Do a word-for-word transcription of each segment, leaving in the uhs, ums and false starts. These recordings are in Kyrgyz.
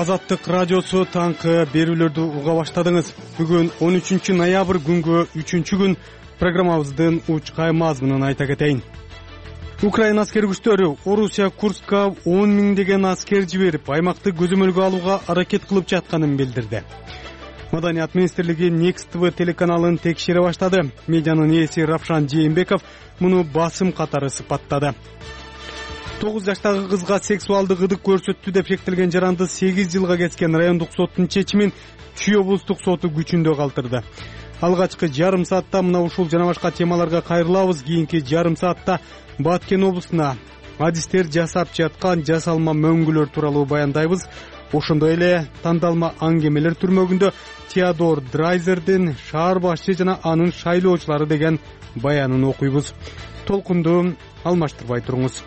Азаттык радиосу таңкы берүүлөрдү уга баштадыңыз. Бүгүн он үчүнчү ноябрь күнгө үчүнчү күн программабыздын учкай мазмунун айта кетейин. Украина аскер күчтөрү Орусия Курска он миңдеген аскер жиберип, аймакты көзөмөлгө алууга аракет кылып жатканын билдирди. Маданият министрлиги Next ти ви телеканалын текшере баштады. Медианын ээси Равшан Жээнбеков муну басым катары сыпаттады. тогуз жаштагы кызга сексуалдык ыдык көрсөттү деп шектелген жаранды сегиз жылга кеткен райондук соттун чечимин Чүй облустук соту күчүндө калтырды. Алгачкы жарым саатта мына ушул жана башка темаларга кайрылабыз. Кийинки жарым саатта Баткен облусуна адистер жасап жаткан жасалма мөңгүлөр тууралуу баяндайбыз. Ошондой эле тандалма аңгемелер түрмөгүндө Теодор Драйзердин шаар башчы жана анын шайлоочулары деген баянын окуйбуз. Толкунду алмаштырбай туруңуз.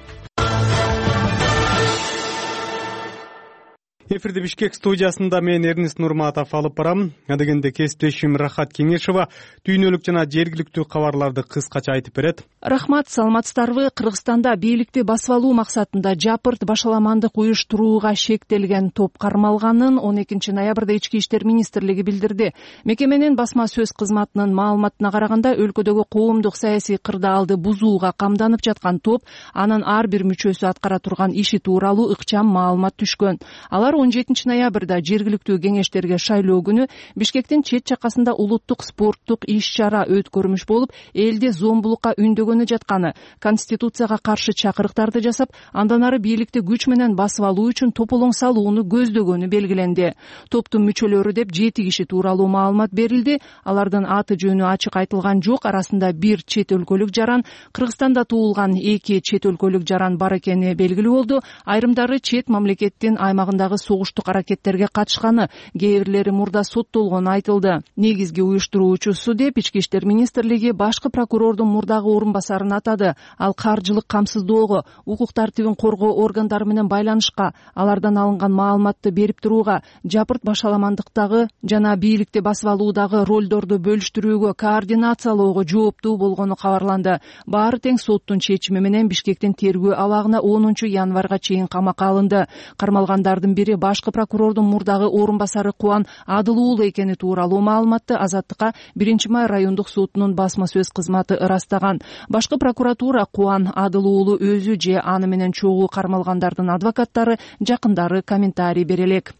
Эфирде Бишкек студиясында мен Эрнис Нурматов алып барам. Адегенде кесиптешим Рахат Кеңешова дүйнөлүк жана жергиликтүү кабарларды кыскача айтып берет. Рахмат, саламатсыздарбы? Кыргызстанда бийликти басып алуу максатында жапырт башаламандык уюштурууга шектелген топ кармалганын он экинчи ноябрда Ички иштер министрлиги билдирди. Мекеменин басма сөз кызматынын маалыматына караганда, өлкөдөгү коомдук саясий кырдаалды бузууга камданып жаткан топ анын ар бир мүчөсү аткара турган иши тууралуу ыкчам маалымат түшкөн. Алар он жетинчи ноябрда жергиликтүү кеңештерге шайлоо күнү Бишкектин чет жакасында улуттук спорттук иш-чара өткөрмүш болуп, элди зомбулукка үндөгөнү жатканы, конституцияга каршы чакырыктарды жасап, андан ары бийликти күч менен басып алуу үчүн тополоң салууну көздөгөнү белгиленди. Топтун мүчөлөрү деп жети киши тууралуу маалымат берилди. Алардын аты жөнү ачык айтылган жок. Арасында бир чет өлкөлүк жаран, Кыргызстанда туулган эки чет өлкөлүк жаран бар экени белгилүү болду. Айрымдары чет мамлекеттин аймагындагы согуштук аракеттерге катышканы, кээ бирлери мурда соттолгону айтылды. Негизги уюштуруучусу деп Ички иштер министрлиги башкы прокурордун мурдагы орун басарын атады. Ал каржылык камсыздоого, укук тартибин коргоо органдары менен байланышка, алардан алынган маалыматты берип турууга, жапырт башаламандыктагы жана бийликти басып алуудагы ролдорду бөлүштүрүүгө, координациялоого жооптуу болгону кабарланды. Баары тең соттун чечими менен Бишкектин тергөө абагына онунчу январга чейин камакка алынды. Кармалгандардын бири башкы прокурордун мурдагы орун басары Кубан Адылуулу экени тууралуу маалыматты Азаттыкка биринчи май райондук сотунун басма сөз кызматы ырастаган. Башкы прокуратура Кубан Адылуулу өзү же аны менен чогуу кармалгандардын адвокаттары, жакындары комментарий бере элек.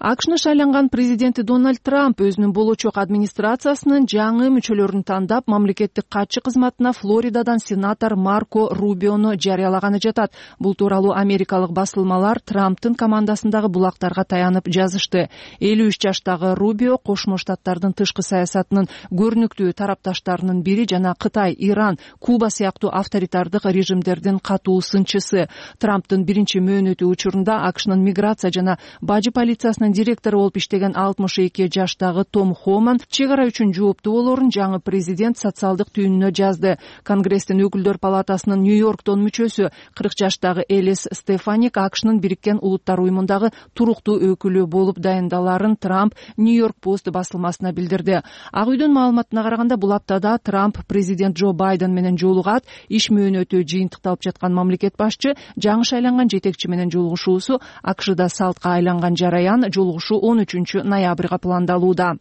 АКШны шайланган президенти Дональд Трамп өзүнүн болочок администрациясынын жаңы мүчөлөрүн тандап, мамлекеттик катчы кызматына Флоридадан сенатор Марко Рубиону жарыялаганы жатат. Бул тууралуу америкалык басылмалар Трамптын командасындагы булактарга таянып жазышты. элүү үч жаштагы Рубио Кошмо Штаттардын тышкы саясатынын көрүнүктүү тарапташтарынын бири жана Кытай, Иран, Куба сыяктуу авторитардык режимдердин катуу сынчысы. Трамптын биринчи мөөнөтү учурунда АКШнын миграция жана бажы полициясынын директору болуп иштеген алтымыш эки жаштагы Том Хоман чек ара үчүн жооптуу болоорун жаңы президент социалдык түйүнүнө жазды. Конгресстин өкүлдөр палатасынын Нью-Йорктон мүчөсү кырк жаштагы Элис Стефаник АКШнын Бириккен Улуттар уюмундагы туруктуу өкүлү болуп дайындаларын Трамп Нью-Йорк Пост басылмасына билдирди. Ак үйдүн маалыматына караганда, бул аптада Трамп президент Джо Байден менен жолугат. Иш мөөнөтү жыйынтыкталып жаткан мамлекет башчы жаңы шайланган жетекчи менен жолугушуусу АКШда салтка айланган жараян жолугушуу он үчүнчү ноябрга пландалууда.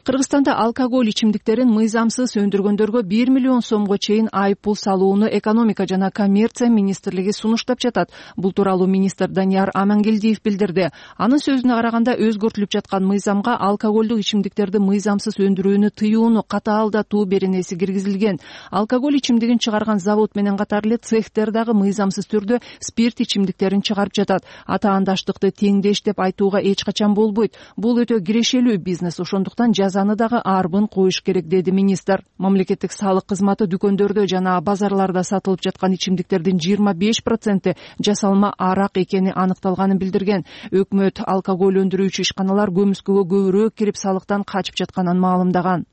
Кыргызстанда алкоголь ичимдиктерин мыйзамсыз өндүргөндөргө бир миллион сомго чейин айыппул салууну экономика жана коммерция министрлиги сунуштап жатат. Бул тууралуу министр Данияр Амангелдиев билдирди. Анын сөзүнө караганда, өзгөртүлүп жаткан мыйзамга алкоголдук ичимдиктерди мыйзамсыз өндүрүүнү тыюуну катаалдатуу беренеси киргизилген. Алкоголь ичимдигин чыгарган завод менен катар эле цехтер дагы мыйзамсыз түрдө спирт ичимдиктерин чыгарып жатат. Атаандаштыкты теңдеш деп айтууга эч качан болбойт. Бул өтө кирешелүү бизнес, ошондуктан жазаны дагы арбын коюш керек, деди министр. Мамлекеттик салык кызматы дүкөндөрдө жана базарларда сатылып жаткан ичимдиктердин жыйырма беш проценти жасалма арак экени аныкталганын билдирген. Өкмөт алкоголь өндүрүүчү ишканалар көмүскөгө көбүрөөк кирип салыктан качып жатканын маалымдаган.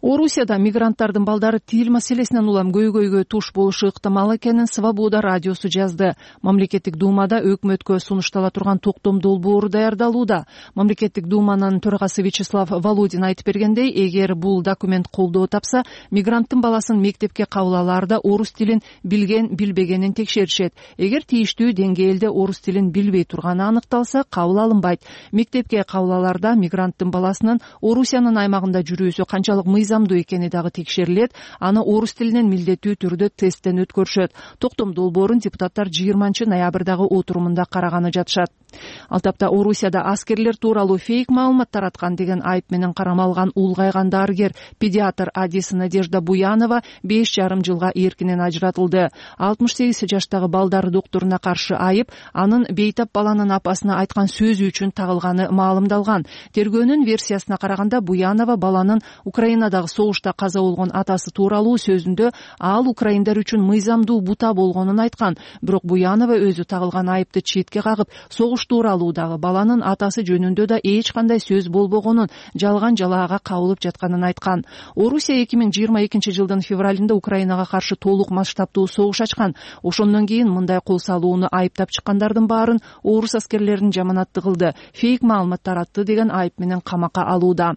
Орусияда мигранттардын балдары тил маселесинен улам көйгөйгө туш болушу ыктымал экенин Свобода радиосу жазды. Мамлекеттик думада өкмөткө сунуштала турган токтом долбоору даярдалууда. Мамлекеттик думанын төрагасы Вячеслав Володин айтып бергендей, эгер бул документ колдоо тапса, мигранттын баласын мектепке кабыл алаарда орус тилин билген, билбегенин текшеришет. Эгер тийиштүү деңгээлде орус тилин билбей турганы аныкталса, кабыл алынбайт. Мектепке кабыл алаарда мигранттын баласынын Орусиянын аймагында жүрүүсү канчалык мыйзамдуу экени дагы текшерилет, аны орус тилинен милдеттүү түрдө тесттен өткөрүшөт. Токтом долбоорун депутаттар жыйырманчы ноябрдагы отурумунда караганы жатышат. Ал тапта Орусияда аскерлер тууралуу фейк маалымат тараткан деген айып менен карамалган улгайган дарыгер педиатр Адиса Надежда Буянова беш жарым жылга эркинен ажыратылды. алтымыш сегиз жаштагы балдар докторуна каршы айып анын бейтап баланын апасына айткан сөзү үчүн тагылганы маалымдалган. Тергөөнүн версиясына караганда Буянова баланын Украинадагы согушта каза болгон атасы тууралуу сөзүндө ал украиндар үчүн мыйзамдуу бута болгонун айткан. Бирок Буянова өзү тагылган айыпты четке кагып, согуш тууралуудагы баланын атасы жөнүндө да эч кандай сөз болбогонун, жалган жалаага кабылып жатканын айткан. Орусия эки миң жыйырма экинчи жылдын февралында Украинага каршы толук масштабтуу согуш ачкан. Ошондон кийин мындай кол салууну айыптап чыккандардын баарын орус аскерлерин жаманатты кылды, фейк маалымат таратты деген айып менен камакка алууда.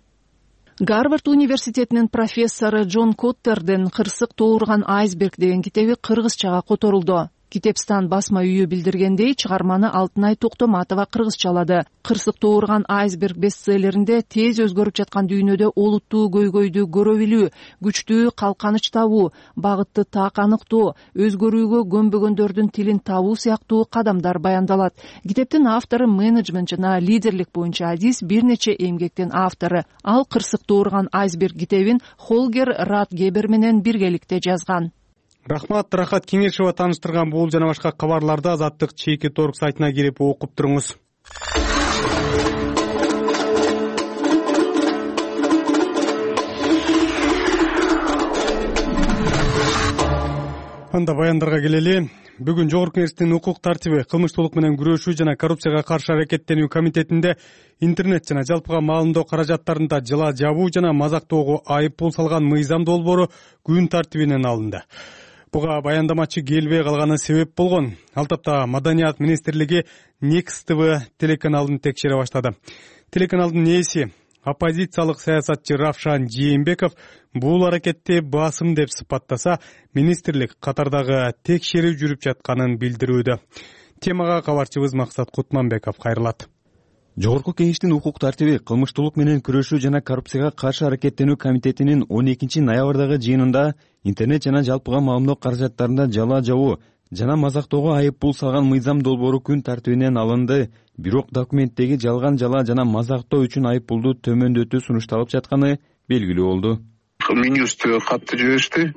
Гарвард университетинин профессору Джон Коттердин «Кырсык тоорган айсберг» деген китеби кыргызчага которулду. Китепстан басма үйү билдиргендей, чыгарманы Алтынай Токтоматова кыргызчалады. «Кырсык тоорган айсберг» бестселлеринде тез өзгөрүп жаткан дүйнөдө олуттуу көйгөйдү көрө билүү, күчтүү калканыч табуу, багытты так аныктоо, өзгөрүүгө көнбөгөндөрдүн тилин табуу сыяктуу кадамдар баяндалат. Китептин автору менеджмент жана лидерлик боюнча адис бир нече эмгектин автору. Ал «Кырсык тоорган айсберг» китебин Холгер Ратгебер менен биргеликте жазган. Рахмат, Рахат Кеңешова тааныштырган бул жана башка кабарларды Азаттык чейки торг сайтына кирип окуп туруңуз. Анда баяндарга келели. Бүгүн Жогорку Кеңештин укук тартиби, кылмыштуулук менен күрөшүү жана коррупцияга каршы аракеттенүү комитетинде интернет жана жалпыга маалымдоо каражаттарында жыла жабуу жана мазактоого айып пул салган мыйзам долбоору күн тартибинен алынды. Буга баяндамачы келбей калганы себеп болгон. Ал тапта Маданият министрлиги Next ти ви телеканалын текшере баштады. Телеканалдын ээси оппозициялык саясатчы Равшан Жээнбеков бул аракетти басым деп сыпаттаса, министрлик катардагы текшерүү жүрүп жатканын билдирүүдө. Темага кабарчыбыз Максат Кутманбеков кайрылат. Жогорку Кеңештин укук тартиби, кылмыштуулук менен күрөшүү жана коррупцияга каршы аракеттенүү комитетинин он экинчи ноябрдагы жыйынында интернет жана жалпыга маалымдоо каражаттарында жала жабуу жана мазактоого айып пул салган мыйзам долбоору күн тартибинен алынды. Бирок документтеги жалган жала жана мазактоо үчүн айып пулду төмөндөтүү сунушталып жатканы белгилүү болду. Министр катты жиберишти.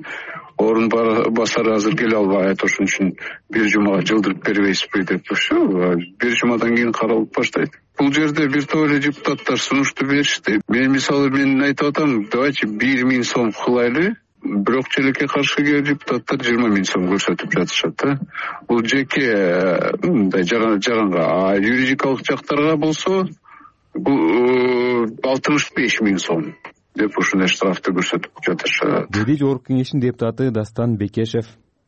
Орун басары азыр келе албайт, ошон үчүн бир жумага жылдырып бербейсизби деп ошо бир жумадан кийин каралып баштайт. Бул жерде бир топ эле депутаттар сунушту беришти. Мен мисалы мен айтып атам, давайте бир миң сом кылайлы. Бирок челекке каршы келген депутаттар жыйырма миң сом көрсөтүп жатышат да. Бул жеке мындай жаранга, а юридикалык жактарга болсо бул алтымыш беш миң сом деп ушундай штрафты көрсөтүп жатышат, деди Жогорку Кеңештин депутаты Дастан Бекешев.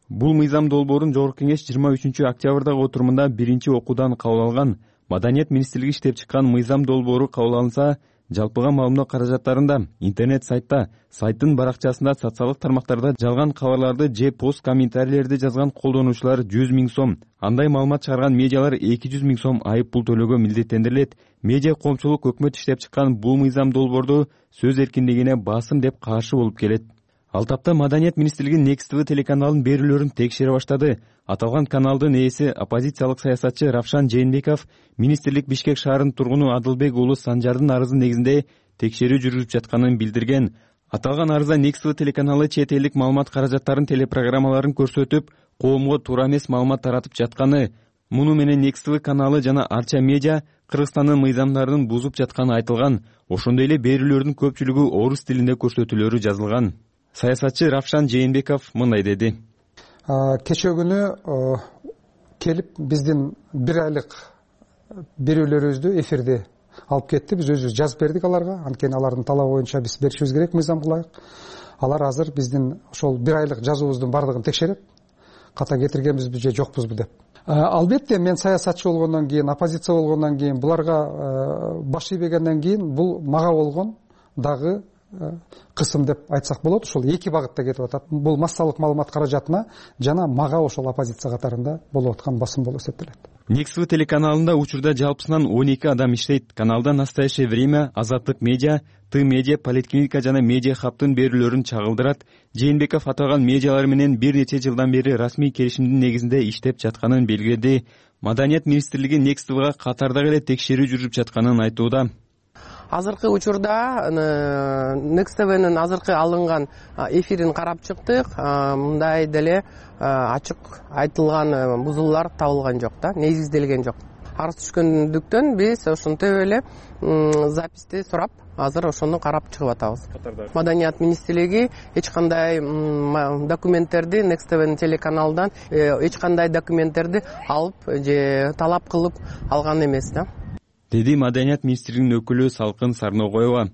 Бул мыйзам долбоорун Жогорку Кеңеш жыйырма үчүнчү октябрдагы отурумунда биринчи окуудан кабыл алган. Маданият министрлиги иштеп чыккан мыйзам долбоору кабыл алынса, жалпыга маалымдоо каражаттарында, интернет сайтта, сайттын баракчасында, социалдык тармактарда жалган кабарларды же пост комментарийлерди жазган колдонуучулар жүз миң сом, андай маалымат чыгарган медиалар эки жүз миң сом айып пул төлөөгө милдеттендирилет. Медиа коомчулук өкмөт иштеп чыккан бул мыйзам долбоорду сөз эркиндигине басым деп каршы болуп келет. Ал тапта Маданият министрлиги Next ти ви телеканалынын берүүлөрүн текшере баштады. Аталган каналдын ээси оппозициялык саясатчы Равшан Жээнбеков министрлик Бишкек шаарынын тургуну Адылбек уулу Санжардын арызы негизинде текшерүү жүрүп жатканын билдирген. Аталган арызда Next ти ви телеканалы чет элдик маалымат каражаттарын телепрограммаларын көрсөтүп, коомго туура эмес маалымат таратып жатканы, муну менен Next ти ви каналы жана Арча медиа Кыргызстандын мыйзамдарын бузуп жатканы айтылган. Ошондой эле берүүлөрдүн көпчүлүгү орус тилинде көрсөтүүлөрү жазылган. Саясатчы Равшан Жээнбеков мындай деди. Кечээ күнү келип биздин бир айлык берүүлөрүбүздү эфирде алып кетти. Биз өзүбүз жазып бердик аларга. Анткени алардын талабы боюнча биз беришибиз керек мыйзамга ылайык. Алар азыр биздин ошол бир айлык жазуубуздун бардыгын текшерет. Ката кетиргенбизби же жокпузбу деп. Албетте мен саясатчы болгондон кийин, оппозиция болгондон кийин, буларга баш ийбегенден кийин бул мага болгон дагы кысым деп айтсак болот. Ошол эки багытта кетип атат. Бул массалык маалымат каражатына жана мага ошол оппозиция катарында болуп аткан басым болуп эсептелет. Некств телеканалында учурда жалпысынан он эки адам иштейт. Каналда «Настоящее время», Азаттык медиа, Ты медиа, Политклиника жана Медиа хабтын берүүлөрүн чагылдырат. Жээнбеков аталган медиалар менен бир нече жылдан бери расмий келишимдин негизинде иштеп жатканын белгиледи. Маданият министрлиги Некствга катардагы эле текшерүү жүрүп жатканын айтууда. Азыркы учурда Некствнын азыркы алынган эфирин карап чыктык. Мындай деле ачык айтылган бузуулар табылган жок да, негизделген жок. Арыз түшкөндүктөн биз ошентип эле записти сурап, азыр ошону карап чыгып атабыз. Маданият министрлиги эч кандай документтерди Некствнын телеканалдан эч кандай документтерди алып же талап кылып алган эмес да, деди Маданият министрлигинин өкүлү Салкын Сарногоева.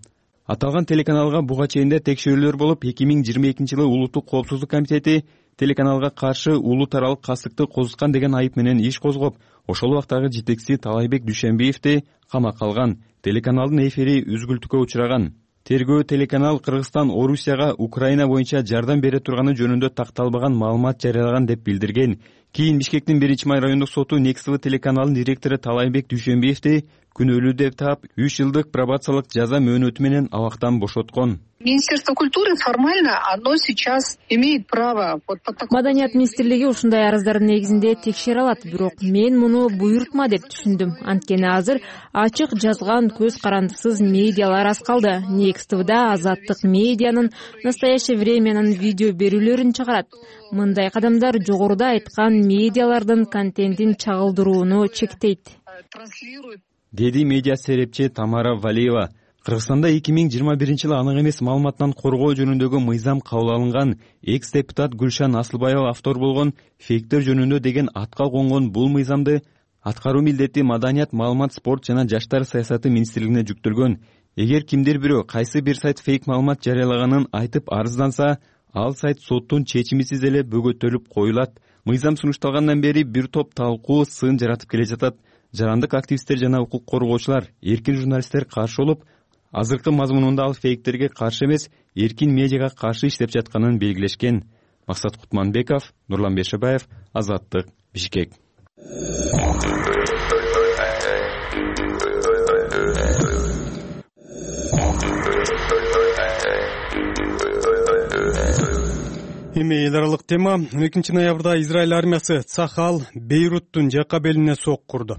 Аталган телеканалга буга чейин текшерүүлөр болуп, эки миң жыйырма экинчи жылы Улуттук коопсуздук комитети телеканалга каршы улут аралык кастыкты козуткан деген айып менен иш козгоп, ошол убактагы жетекчиси Талайбек Дүйшөнбиевди камакка алган. Телеканалдын эфири үзгүлтүккө учураган. Тергөө телеканал Кыргызстан Орусияга Украина боюнча жардам бере турганы жөнүндө такталбаган маалымат жарыялаган деп билдирген. Кийин Бишкектин биринчи май райондук соту Некств телеканалынын директору Талайбек Дүйшөнбиевди күнөөлүү деп таап, үч жылдык пробациялык жаза мөөнөтү менен абактан бошоткон. Министерство культуры формально оно сейчас имеет право. Маданият министрлиги ушундай арыздардын негизинде текшере алат, бирок мен муну буйрутма деп түшүндүм. Анткени азыр ачык жазган көз карандысыз медиалар аз калды. Некствда Азаттык медианын, Настоящее времянын видео берүүлөрүн чыгарат. Мындай кадамдар жогоруда айткан медиалардын контентин чагылдырууну чектейт, деди медиа серепчи Тамара Валиева. Кыргызстанда эки миң жыйырма биринчи жылы анык эмес маалыматтан коргоо жөнүндөгү мыйзам кабыл алынган. Экс депутат Гүлшан Асылбаева автор болгон «Фейктер жөнүндө» деген атка конгон бул мыйзамды аткаруу милдети Маданият, маалымат, спорт жана жаштар саясаты министрлигине жүктөлгөн. Эгер кимдир бирөө кайсы бир сайт фейк маалымат жарыялаганын айтып арызданса, ал сайт соттун чечимисиз эле бөгөтөлүп коюлат. Мыйзам сунушталгандан бери бир топ талкуу, сын жаратып келе жатат. Жарандык активисттер жана укук коргоочулар, эркин журналисттер каршы болуп, азыркы мазмунунда ал фейктерге каршы эмес, эркин медиага каршы иштеп жатканын белгилешкен. Максат Кутманбеков, Нурлан Бешебаев, Азаттык, Бишкек. Эми эл аралык тема. он экинчи ноябрда Израиль армиясы Цахал Бейруттун жакка белине сок курду.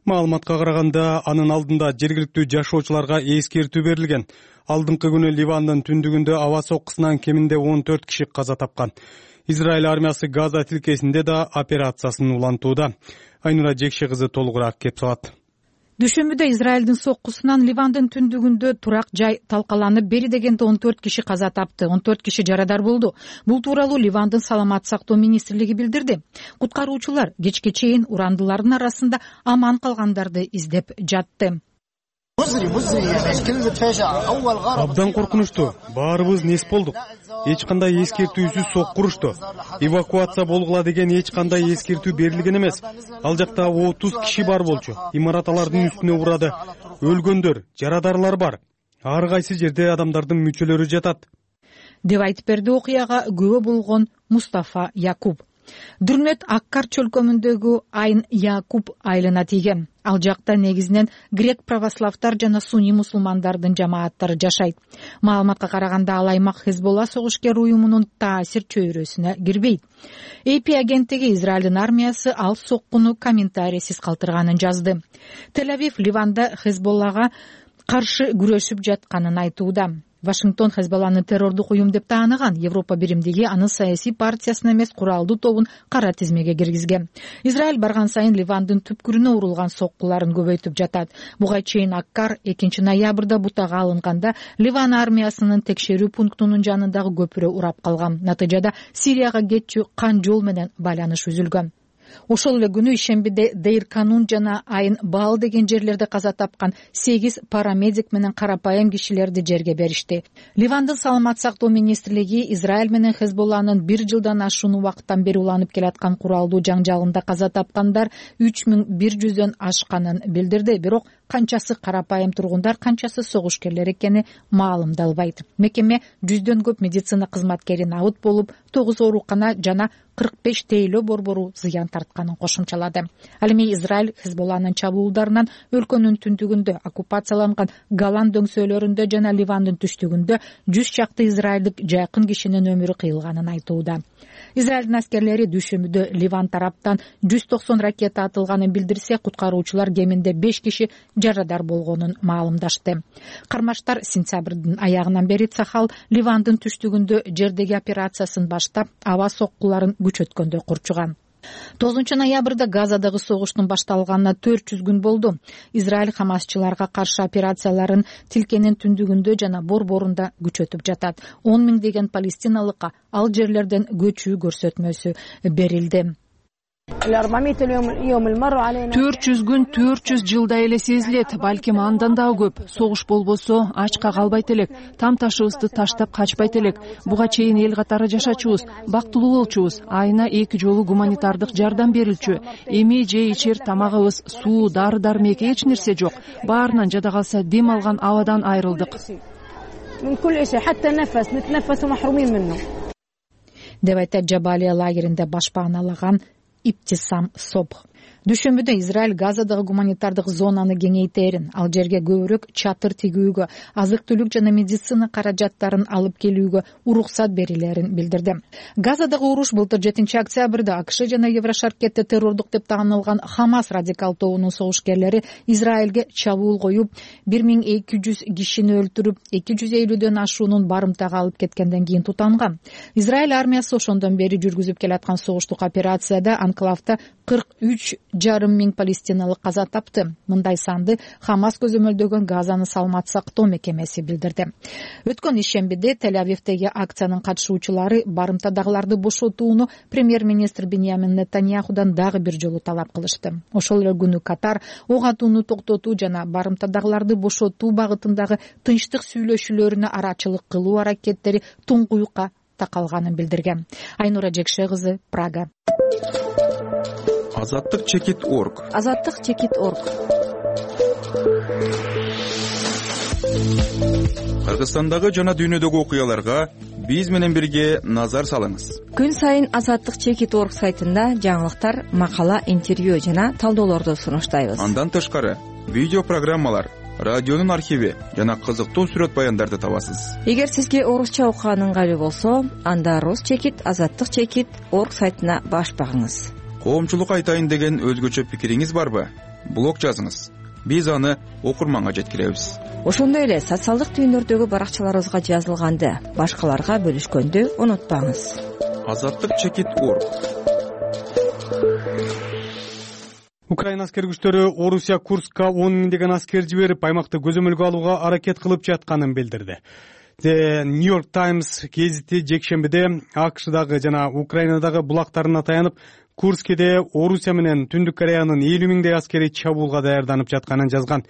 Маалыматка караганда, анын алдында жергиликтүү жашоочуларга эскертүү берилген. Алдыңкы күнү Ливандын түндүгүндө аба соккусунан кеминде он төрт киши каза тапкан. Израиль армиясы Газа тилкесинде да операциясын улантууда. Айнура Жекше кызы толугураак кеп салат. Дүйшөмбүдө Израилдин соккусунан Ливандын түндүгүндө турак жай талкаланып, бери дегенде он төрт киши каза тапты, он төрт киши жарадар болду. Бул тууралуу Ливандын саламат сактоо министрлиги билдирди. Куткаруучулар кечке чейин урандылардын арасында аман калгандарды издеп жатты. Абдан коркунучтуу. Баарыбыз нес болдук. Эч кандай эскертүүсүз сок курушту. Эвакуация болгула деген эч кандай эскертүү берилген эмес. Ал жакта отуз киши бар болчу. Имарат алардын үстүнө урады. Өлгөндөр, жарадарлар бар. Ар кайсы жерде адамдардын мүчөлөрү жатат, деп айтып берди окуяга күбө болгон Мустафа Якуб. Дүрмөт Аккар чөлкөмүндөгү Айн Якуб айылына тийген. Ал жакта негизинен грек православтар жана сунни мусулмандардын жамааттары жашайт. Маалыматка караганда, ал аймак Хезболла согушкер уюмунун таасир чөйрөсүнө кирбейт. эй пи агенттиги Израилдин армиясы ал соккуну комментарийсиз калтырганын жазды. Тель-Авив Ливанда Хезболлага каршы күрөшүп жатканын айтууда. Вашингтон Хезболланы террордук уюм деп тааныган. Европа биримдиги анын саясий партиясын эмес, куралдуу тобун кара тизмеге киргизген. Израиль барган сайын Ливандын түпкүрүнө урулган соккуларын көбөйтүп жатат. Буга чейин Аккар экинчи ноябрда бутага алынганда Ливан армиясынын текшерүү пунктунун жанындагы көпүрө урап калган. Натыйжада Сирияга кетчү кан жол менен байланыш үзүлгөн. ошол эле күнү ишембиде Дейр Канун жана Айын Баал деген жерлерде каза тапкан сегиз парамедик менен карапайым кишилерди жерге беришти. Ливандын саламат сактоо министрлиги Израиль менен Хезболланын бир жылдан ашуун убакыттан бери уланып келаткан куралдуу жаңжалында каза тапкандар үч миң бир жүздөн ашканын билдирди. Бирок канчасы карапайым тургундар, канчасы согушкерлер экени маалымдалбайт. Мекеме жүздөн көп медицина кызматкерин абыт болуп, тогуз оорукана жана кырк беш тейлөө борбору зыян тартканын кошумчалады. Ал эми Израиль Хезболланын чабуулдарынан өлкөнүн түндүгүндө, оккупацияланган Голан дөңсөөлөрүндө жана Ливандын түштүгүндө жүз чакты израилдик жакын кишинин өмүрү кыйылганын айтууда. Израилдин аскерлери дүйшөмбүдө Ливан тараптан жүз токсон ракета атылганын билдирсе, куткаруучулар кеминде беш киши жарадар болгонун маалымдашты. Кармаштар сентябрдын аягынан бери Цахал Ливандын түштүгүндө жердеги операциясын баштап, аба соккуларын күчөткөндө курчуган. тогузунчу ноябрда Газадагы согуштун башталганына төрт жүз күн болду. Израиль хамасчыларга каршы операцияларын Тилкенин түндүгүндө жана борборунда күчөтүп жатат. он миңдеген палестиналыкка ал жерлерден көчүү көрсөтмөсү берилди. төрт жүз күн төрт жүз жылдай эле сезилет, балким андан дагы көп. Согуш болбосо ачка калбайт элек, там ташыбызды таштап качпайт элек. Буга чейин эл катары жашачубуз, бактылуу болчубуз. Айына эки жолу гуманитардык жардам берилчү. Эми же ичер тамагыбыз, суу, дары-дармек эч нерсе жок. Баарынан жада калса дем алган абадан айрылдык. деп айтат Жабалия лагеринде башпааналаган Иптисам Собх. Дүйшөмбүдө Израиль Газадагы гуманитардык зонаны кеңейтерин, ал жерге көбүрөөк чатыр тигүүгө, азык-түлүк жана медицина каражаттарын алып келүүгө уруксат берилерин билдирди. Газадагы уруш былтыр жетинчи октябрда АКШ жана Еврошаркетте террордук деп таанылган Хамас радикал тобунун согушкерлери Израилге чабуул коюп, бир миң эки жүз кишини өлтүрүп, эки жүз элүүдөн ашуунун барымтага алып кеткенден кийин тутанган. Израиль армиясы ошондон бери жүргүзүп келаткан согуштук операцияда анклавда кырк үч жарым миң палестиналык каза тапты. Мындай санды Хамас көзөмөлдөгөн Газаны саламат сактоо мекемеси билдирди. Өткөн ишембиде Тель-Авивдеги акциянын катышуучулары барымтадагыларды бошотууну премьер-министр Биньямин Нетаньяхудан дагы бир жолу талап кылышты. Ошол эле күнү Катар ок атууну токтотуу жана барымтадагыларды бошотуу багытындагы тынчтык сүйлөшүүлөрүнө арачылык кылуу аракеттери туңгуюкка такалганын билдирген. Айнура Жекше кызы, Прага. Азаттык чекит точка орг. Азаттык чекит точка орг. Кыргызстандагы жана дүйнөдөгү окуяларга биз менен бирге назар салыңыз. Күн сайын Азаттык чекит точка орг сайтында жаңылыктар, макала, интервью жана талдоолорду сунуштайбыз. Андан тышкары видео программалар, радионун архиви жана кызыктуу сүрөт баяндарды табасыз. Эгер сизге орусча окуган ыңгайлуу болсо, анда Рус чекит, Азаттык чекит точка орг сайтына баш багыңыз. Коомчулук айтайын деген өзгөчө пикириңиз барбы? Блог жазыңыз. Биз аны окурманга жеткиребиз. Ошондой эле социалдык түйүндөрдөгү баракчаларыбызга жазылганды башкаларга бөлүшкөндү унутпаңыз. Азаттык чекит точка орг. Украина аскер күчтөрү Орусия Курскка он миңдеген аскер жиберип, аймакты көзөмөлгө алууга аракет кылып жатканын билдирди. The New York Times гезити жекшембиде АКШдагы жана Украинадагы булактарына таянып, Курскеде Орусия менен Түндүк Кореянын элүү миңдей аскери чабуулга даярданып жатканын жазган.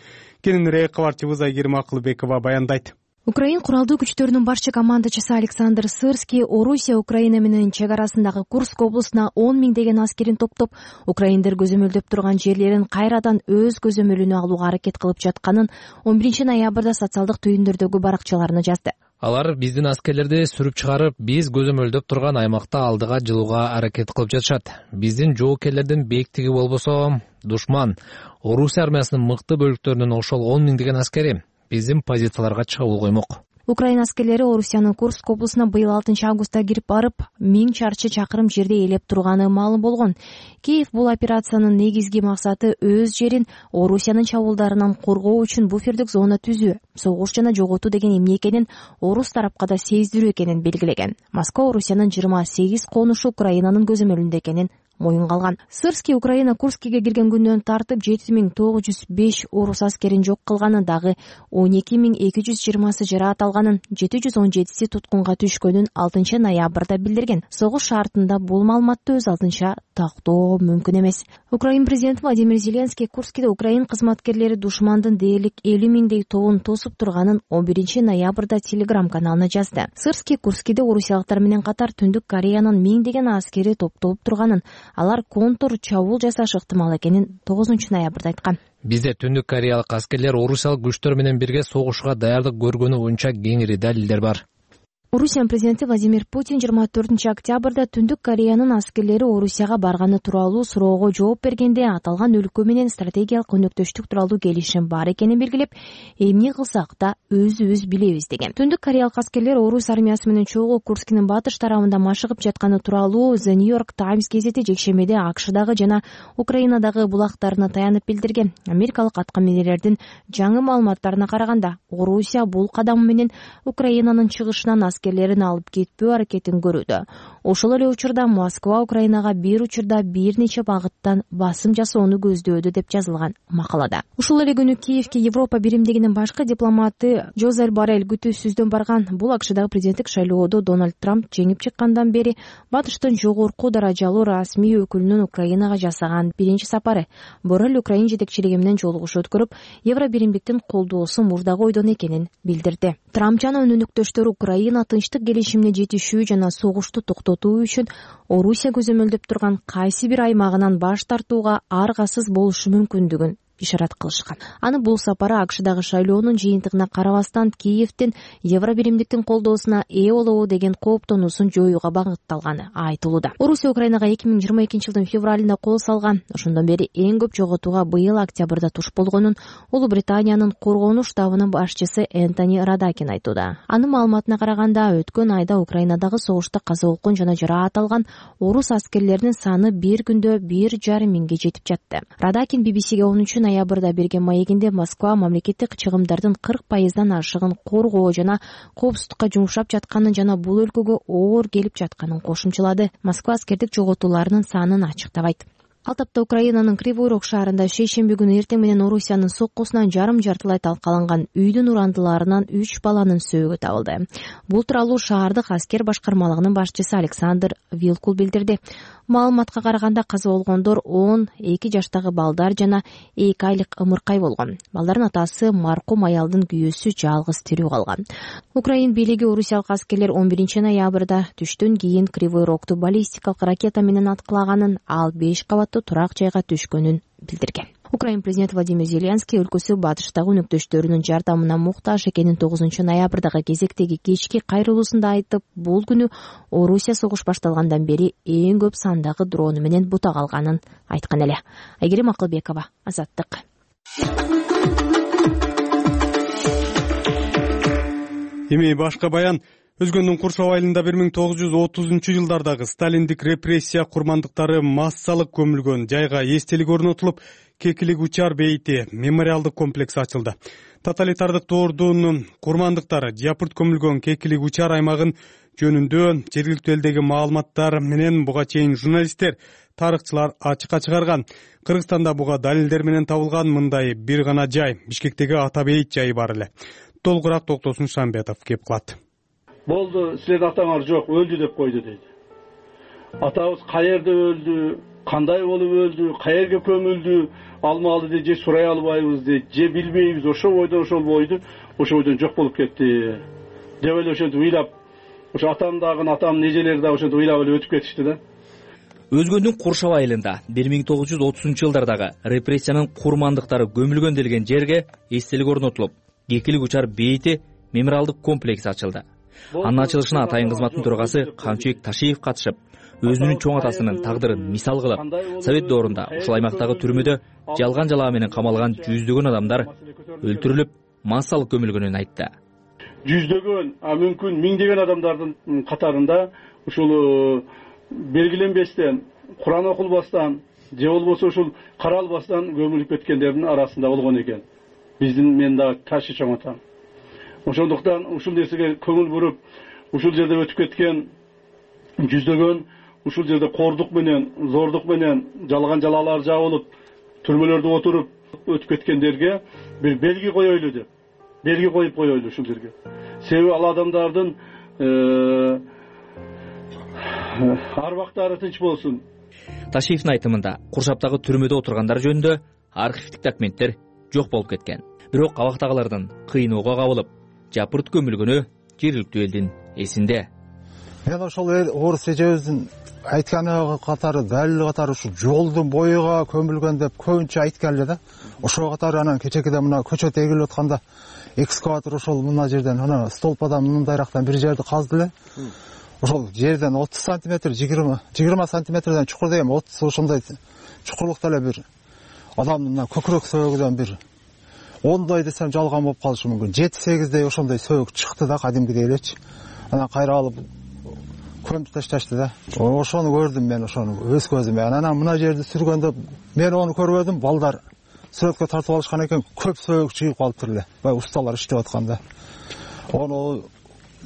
Кененирээк кабарчыбыз Айгерим Акылбекова баяндайт. Украин куралдуу күчтөрүнүн барча командачысы Александр Сырский Орусия Украина менен чек арасындагы Курск облусуна он миңдеген аскерин топтоп, украиндер көзөмөлдөп турган жерлерин кайрадан өз көзөмөлүнө алууга аракет кылып жатканын он биринчи ноябрда социалдык түйүндөрдөгү баракчаларына жазды. Алар биздин аскерлерди сүрүп чыгарып, биз көзөмөлдөп турган аймакта алдыга жылууга аракет кылып жатышат. Биздин жоокерлердин бээктиги болбосо, душман Орусия армиясынын мыкты бөлүктөрүнүн ошол он миңдеген аскери биздин позицияларга чабуул коймок. Украина аскерлери Орусиянын Курск облусуна быйыл алтынчы августта кирип барып, миң чарчы чакырым жерде ээлеп турганы маалым болгон. Киев бул операциянын негизги максаты өз жерин Орусиянын чабуулдарынан коргоо үчүн буфердик зона түзүү, согуш жана жоготуу деген эмне экенин орус тарапка да сездирүү экенин белгилеген. Москва Орусиянын жыйырма сегиз конушу Украинанын көзөмөлүндө экенин моюнга алган. Сырский Украина Курскиге кирген күндөн тартып жети миң тогуз жүз беш орус аскерин жок кылганын, дагы он эки миң эки жүз жыйырмасы жараат алганын, жети жүз он жетиси туткунга түшкөнүн алтынчы ноябрда билдирген. Согуш шартында бул маалыматты өз алдынча тактоо мүмкүн эмес. Украин президенти Владимир Зеленский Курскиде Украин кызматкерлери душмандын дээрлик элүү миңдей тобун тосуп турганын он биринчи ноябрда Телеграм каналына жазды. Сырский Курскиде орусиялыктар менен катар Түндүк Кореянын миңдеген аскери топтолуп турганын, алар контур чабуул жасашы ыктымал экенин тогузунчу ноябрда айткан. Бизде Түндүк Кореялык аскерлер орусиялык күчтөр менен бирге согушка даярдык көргөнү боюнча кеңири далилдер бар. Орусиянын президенти Владимир Путин жыйырма төртүнчү октябрда Түндүк Кореянын аскерлери Орусияга барганы тууралуу суроого жооп бергенде аталган өлкө менен стратегиялык өнөктөштүк тууралуу келишим бар экенин белгилеп, эмне кылсак да өзүбүз билебиз деген. Түндүк Кореялык аскерлер орус армиясы менен чогуу Курскинин батыш тарабында машыгып жатканы тууралуу The New York Times гезити жекшембиде АКШдагы жана Украинадагы булактарына таянып билдирген. Америкалык аткаминерлердин жаңы маалыматтарына караганда, Орусия бул кадам менен Украинанын чыгышынан аскерлерин алып кетпөө аракетин көрүүдө. Ошол эле учурда Москва Украинага бир учурда бир нече багыттан басым жасоону көздөөдү деп жазылган макалада. Ушул эле күнү Киевке Европа биримдигинин башкы дипломаты Жозеф Боррель күтүүсүздөн барган. Бул АКШдагы президенттик шайлоодо Дональд Трамп жеңип чыккандан бери батыштын жогорку даражалуу расмий өкүлүнүн Украинага жасаган биринчи сапары. Боррель Украин жетекчилиги менен жолугуш өткөрүп, Евро биримдиктин колдоосу мурдагы ойдон экенин билдирди. Трамп жана өнөктөштөрү Украина тынчтык келишимине жетишүү жана согушту токтотуу үчүн Орусия көзөмөлдөп турган кайсы бир аймагынан баш тартууга аргасыз болушу мүмкүндүгүн ишарат кылышкан. Аны бул сапары АКШдагы шайлоонун жыйынтыгына карабастан Киевдин Евро биримдиктин колдоосуна ээ болобу деген кооптонуусун жоюуга багытталганы айтылууда. Орусия Украинага эки миң жыйырма экинчи жылдын февралында кол салган. Ошондон бери эң көп жоготууга быйыл октябрда туш болгонун Улуу Британиянын коргонуу штабынын башчысы Энтони Радакин айтууда. Анын маалыматына караганда, өткөн айда Украинадагы согушта каза болгон жана жараат алган орус аскерлеринин саны бир күндө бир жарым миңге жетип жатты. Радакин би би сиге онунчу ноябрда берген маегинде Москва мамлекеттик чыгымдардын кырк пайыздан ашыгын коргоо жана коопсуздукка жумшап жатканын жана бул өлкөгө оор келип жатканын кошумчалады. Москва аскердик жоготууларынын санын ачыктабайт. Ал тапта Украинанын Кривой Рог шаарында шейшемби күнү эртең менен Орусиянын соккусунан жарым жартылай талкаланган үйдүн урандыларынан үч баланын сөөгү табылды. Бул тууралуу шаардык аскер башкармалыгынын башчысы Александр Вилкул билдирди. Маалыматка караганда каза болгондор он эки жаштагы балдар жана эки айлык ымыркай болгон. Балдардын атасы маркум аялдын күйөөсү жалгыз тирүү калган. Украин бийлиги орусиялык аскерлер он биринчи ноябрда түштөн кийин Кривой Рогту баллистикалык ракета менен аткылаганын, ал беш кабаттуу турак жайга түшкөнүн билдирген. Украин президенти Владимир Зеленский өлкөсү батыштагы өнөктөштөрүнүн жардамына муктаж экенин тогузунчу ноябрдагы кезектеги кечки кайрылуусунда айтып, бул күнү Орусия согуш башталгандан бери эң көп сандагы дрону менен бутак алганын айткан эле. Айгерим Акылбекова, Азаттык. Эми башка баян. Өзгөндүн куршоо айылында бир миң тогуз жүз отузунчу жылдардагы сталиндик репрессия курмандыктары массалык көмүлгөн жайга эстелик орнотулуп, Кекилик учар бейити мемориалдык комплекс ачылды. Тоталитардык доордун курмандыктары жапырт көмүлгөн Кекилик учар аймагын жөнүндө жергиликтүү элдеги маалыматтар менен буга чейин журналисттер, тарыхчылар ачыкка чыгарган. Кыргызстанда буга далилдер менен табылган мындай бир гана жай, Бишкектеги Ата бейит жайы бар эле. Толугураак Токтосун Шамбетов кеп кылат. Болду, силердин атаңар жок, өлдү деп койду дейт. Атабыз каерде өлдү, кандай болуп өлдү, каерге көмүлдү, алмалды дейт, же сурай албайбыз дейт, же билбейбиз, ошо бойдон ошол бойду, ошо бойдон жок болуп кетти деп эле ошентип ыйлап, ошо атамдагы, атамдын эжелери да ошентип ыйлап эле өтүп кетишти да. Өзгөндүн Куршаб айылында бир миң тогуз жүз отузунчу жылдардагы репрессиянын курмандыктары көмүлгөн делген жерге эстелик орнотулуп, Кекилик учар бейити мемориалдык комплекс ачылды. Анын ачылышына атайын кызматтын төрагасы Камчыбек Ташиев катышып, өзүнүн чоң атасынын тагдырын мисал кылып, Совет доорунда ушул аймактагы түрмөдө жалган жалаа менен камалган жүздөгөн адамдар өлтүрүлүп, массалык көмүлгөнүн айтты. Жүздөгөн, а мүмкүн миңдеген адамдардын катарында ушул белгиленбестен, Куран окулбастан, же болбосо ушул каралбастан көмүлүп кеткендердин арасында болгон экен. Биздин мен дагы ташы чоң атам. Ошондуктан ушул нерсеге көңүл буруп, ушул жерде өтүп кеткен жүздөгөн ушул жерде кордук менен, зордук менен жалган жалалар жабылып, түрмөлөрдө отуруп өтүп кеткендерге бир белги коелу деп, белги коюп коелу ушул жерге. Себеби ал адамдардын арбактары тынч болсун. Ташиевдин айтымында Куршаптагы түрмөдө отургандар жөнүндө архивдик документтер жок болуп кеткен. Бирок абактагылардын кыйноого кабылып, жапырт көмүлгөнү жергиликтүү элдин эсинде. Мен ошол орус эжебиздин айтканы катары, далил катары ушу жолдун боюга көмүлгөн деп көбүнчө айткан эле да. Ошого катары анан кечекеде мына көчөт эгилип атканда экскаватор ошол мына жерден, ана столпадан мындайрактан бир жерди казды эле. Ошол жерден отуз сантиметр, жыйырма сантиметрден чукур деген отуз ошондой чукурлукта эле бир адамдын көкүрөк сөөгүдөн бир ондой десем жалган болуп калышы мүмкүн. жети сегиздей ошондой сөөгү чыкты да, кадимкидей элечи. Анан кайра алып көмүп ташташты да. Ошону көрдүм мен, ошону өз көзүм менен. Анан мына жерди сүргөндө мен ону көрбөдүм, балдар сүрөткө тартып алышкан экен, көп сөөгү чыгып калыптыр эле. Бай усталар иштеп атканда. Ону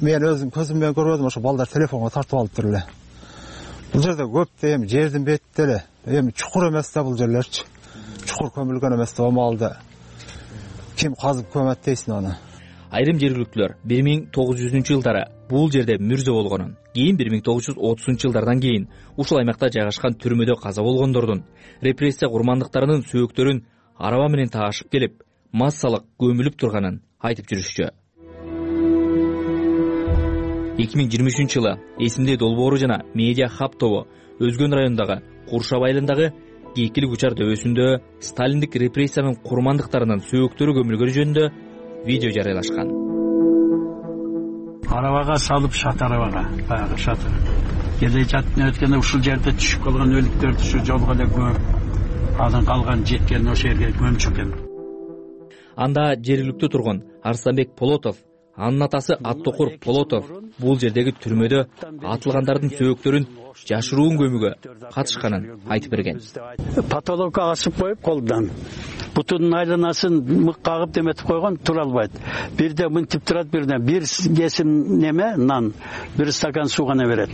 мен өзүм көзүм менен көрбөдүм, ошо балдар телефонго тартып алыптыр эле. Бул жерде көп да, эми жердин бетинде эле, эми чукур эмес да бул жерлерчи. Чукур көмүлгөн эмес да, маалда ким казып көмөт дейсиң аны. Айрым жергиликтүүлөр бир миң тогуз жүзүнчү жылдары бул жерде мүрзө болгонун, кийин бир миң тогуз жүз отузунчу жылдардан кийин ушул аймакта жайгашкан түрмөдө каза болгондордун, репрессия курмандыктарынын сөөктөрүн араба менен таашып келип, массалык көмүлүп турганын айтып жүрүшчү. эки миң жыйырма үчүнчү жылы эсимде долбоору жана медиа хаб тобу Өзгөн районундагы Куршап айылындагы Кийкилик учар дөбөсүндө сталиндик репрессиянын курмандыктарынын сөөктөрү көмүлгөнү жөнүндө видео жарыялашкан. Арабага салып, шат арабага, баягы шат. Келе жаттын өткөндө ушул жерде түшүп калган өлүктөрдү ушу жолго эле көмүп, анан калган жеткен ошол жерге көмчү экен. Анда жергиликтүү тургун Арсланбек Полотов, анын атасы Аттокур Полотов бул жердеги түрмөдө атылгандардын сөөктөрүн жашыруун көмүүгө катышканын айтып берген. Патологка асып коюп колдон бутунун айланасын мык кагып деметип койгон, тура албайт. Бирде мынтип турат, бирде бир кесим неме нан, бир стакан суу гана берет.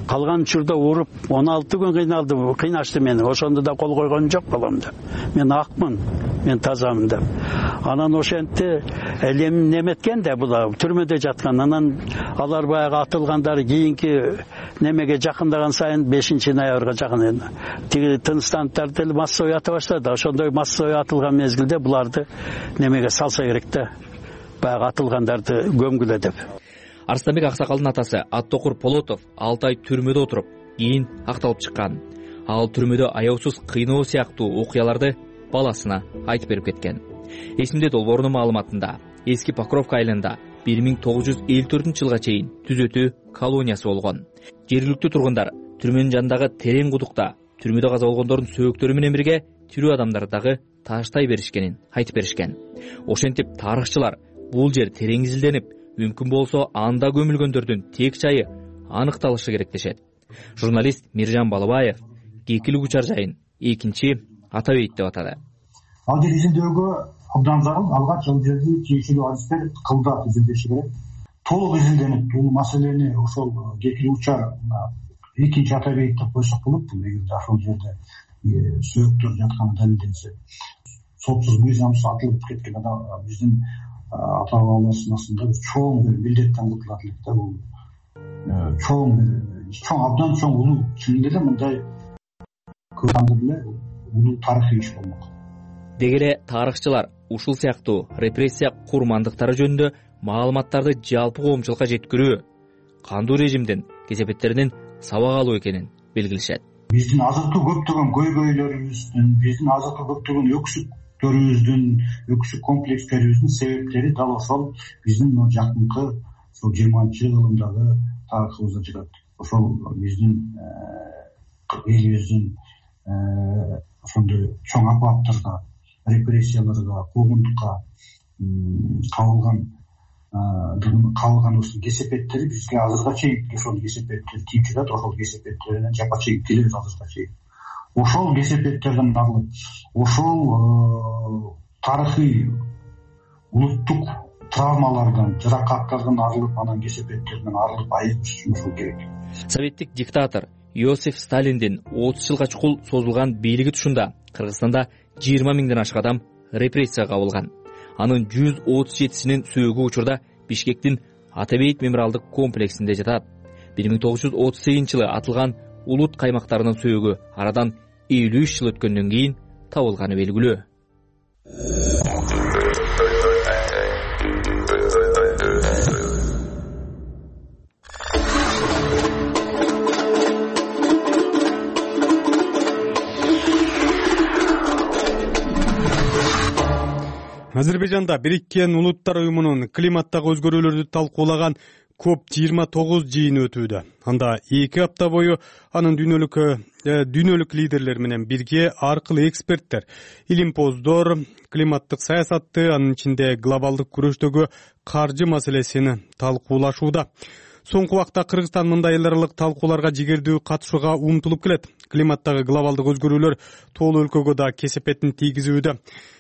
Калган учурда уруп он алты күн кыйналды, кыйнашты мени. Ошондо да кол койгон жок баламда. Мен акмын, мен тазамын деп. Анан ошентти элем неметкен да була түрмөдө жаткан. Анан алар баягы атылгандар кийинки немеге жакындаган сайын бешинчи ноябрга жакын тиги тынчтанттар деле массовый ата баштады. Ошондой массовый атылган мезгилде буларды немеге салса керек да. Баягы атылгандарды көмгүлө деп. Арсланбек аксакалдын атасы Аттокур Полотов алты ай түрмөдө отуруп, кийин акталып чыккан. Ал түрмөдө аяусуз кыйноо сыяктуу окуяларды баласына айтып берип кеткен. Эсимде долбоорунун маалыматында эски Покровка айылында бир миң тогуз жүз элүү төртүнчү жылга чейин түзөтүү колониясы болгон. Жергиликтүү тургундар түрмөнүн жанындагы терең кудукта түрмөдө каза болгондордун сөөктөрү менен бирге тирүү адамдарды дагы тааштай беришкенин айтып беришкен. Ошентип тарыхчылар бул жер терең изилденип, мүмкүн болсо анда көмүлгөндөрдүн тек жайы аныкталышы керек дешет. Журналист Миржан Балыбаев Кийкилик учар жайын экинчи ата бейит деп атады. Ал жер изилдөөгө абдан зарыл. Алгач ал жерди тиешелүү адистер кылдат изилдеши керек. Толук изилденип, бул маселени ошол Кийкилик учар экинчи ата бейит деп койсок болот. Эгерде ошол жерде сөөктөр жатканы далилденсе, сотсуз мыйзамсыз атылып кеткен адам биздин ата бабаларыбыздын астында чоң бир милдеттен кутулат элек да. Бул чоң бир чоң абдан чоң улуу, чынында эле мындай көпандыр эле улуу тарыхый иш болмок. Деги эле тарыхчылар ушул сыяктуу репрессия курмандыктары жөнүндө маалыматтарды жалпы коомчулукка жеткирүү кандуу режимдин кесепеттеринин сабак алуу экенин белгилешет. Биздин азыркы көптөгөн көйгөйлөрүбүздүн, биздин азыркы көптөгөн өксүктөрүбүздүн, өксүк комплекстерибиздин себептери дал ошол биздин жакынкы ошол жыйырманчы кылымдагы тарыхыбызда жатат. Ошол биздин элибиздин ошондой чоң апаттарга, репрессияларга, куугунтукка кабылган кабылганыбыздын кесепеттери бизге азыркыга чейин ошол кесепеттер тийип жатат. Ошол кесепеттеринен жапа чегип келебиз азыркыга чейин. Ошол кесепеттерден арылып, ошол тарыхый улуттук травмалардан, жаракаттардан арылып, анан кесепеттерден арылып айыгыш үчүн ошол керек. Советтик диктатор Иосиф Сталиндин отуз жылга чукул созулган бийлиги тушунда Кыргызстанда жыйырма миңден ашк адам репрессияга кабылган. Анын жүз отуз жетисинин сөөгү учурда Бишкектин Атабейит мемориалдык комплексинде жатат. бир миң тогуз жүз отуз сегизинчи жылы атылган улут каймактарынын сөөгү арадан элүү үч жыл өткөндөн кийин табылганы белгилүү. Азербайжанда Бириккен Улуттар уюмунун климаттагы өзгөрүүлөрдү талкуулаган коп жыйырма тогуз жыйыны өтүүдө. Анда эки апта бою анын дүйнөлүк дүйнөлүк лидерлер менен бирге ар кыл эксперттер илимпоздор климаттык саясатты, анын ичинде глобалдык күрөштөгү каржы маселесин талкуулашууда. Соңку убакта Кыргызстан мындай эл аралык талкууларга жигердүү катышууга умтулуп келет. Климаттагы глобалдык өзгөрүүлөр тоолуу өлкөгө да кесепетин тийгизүүдө.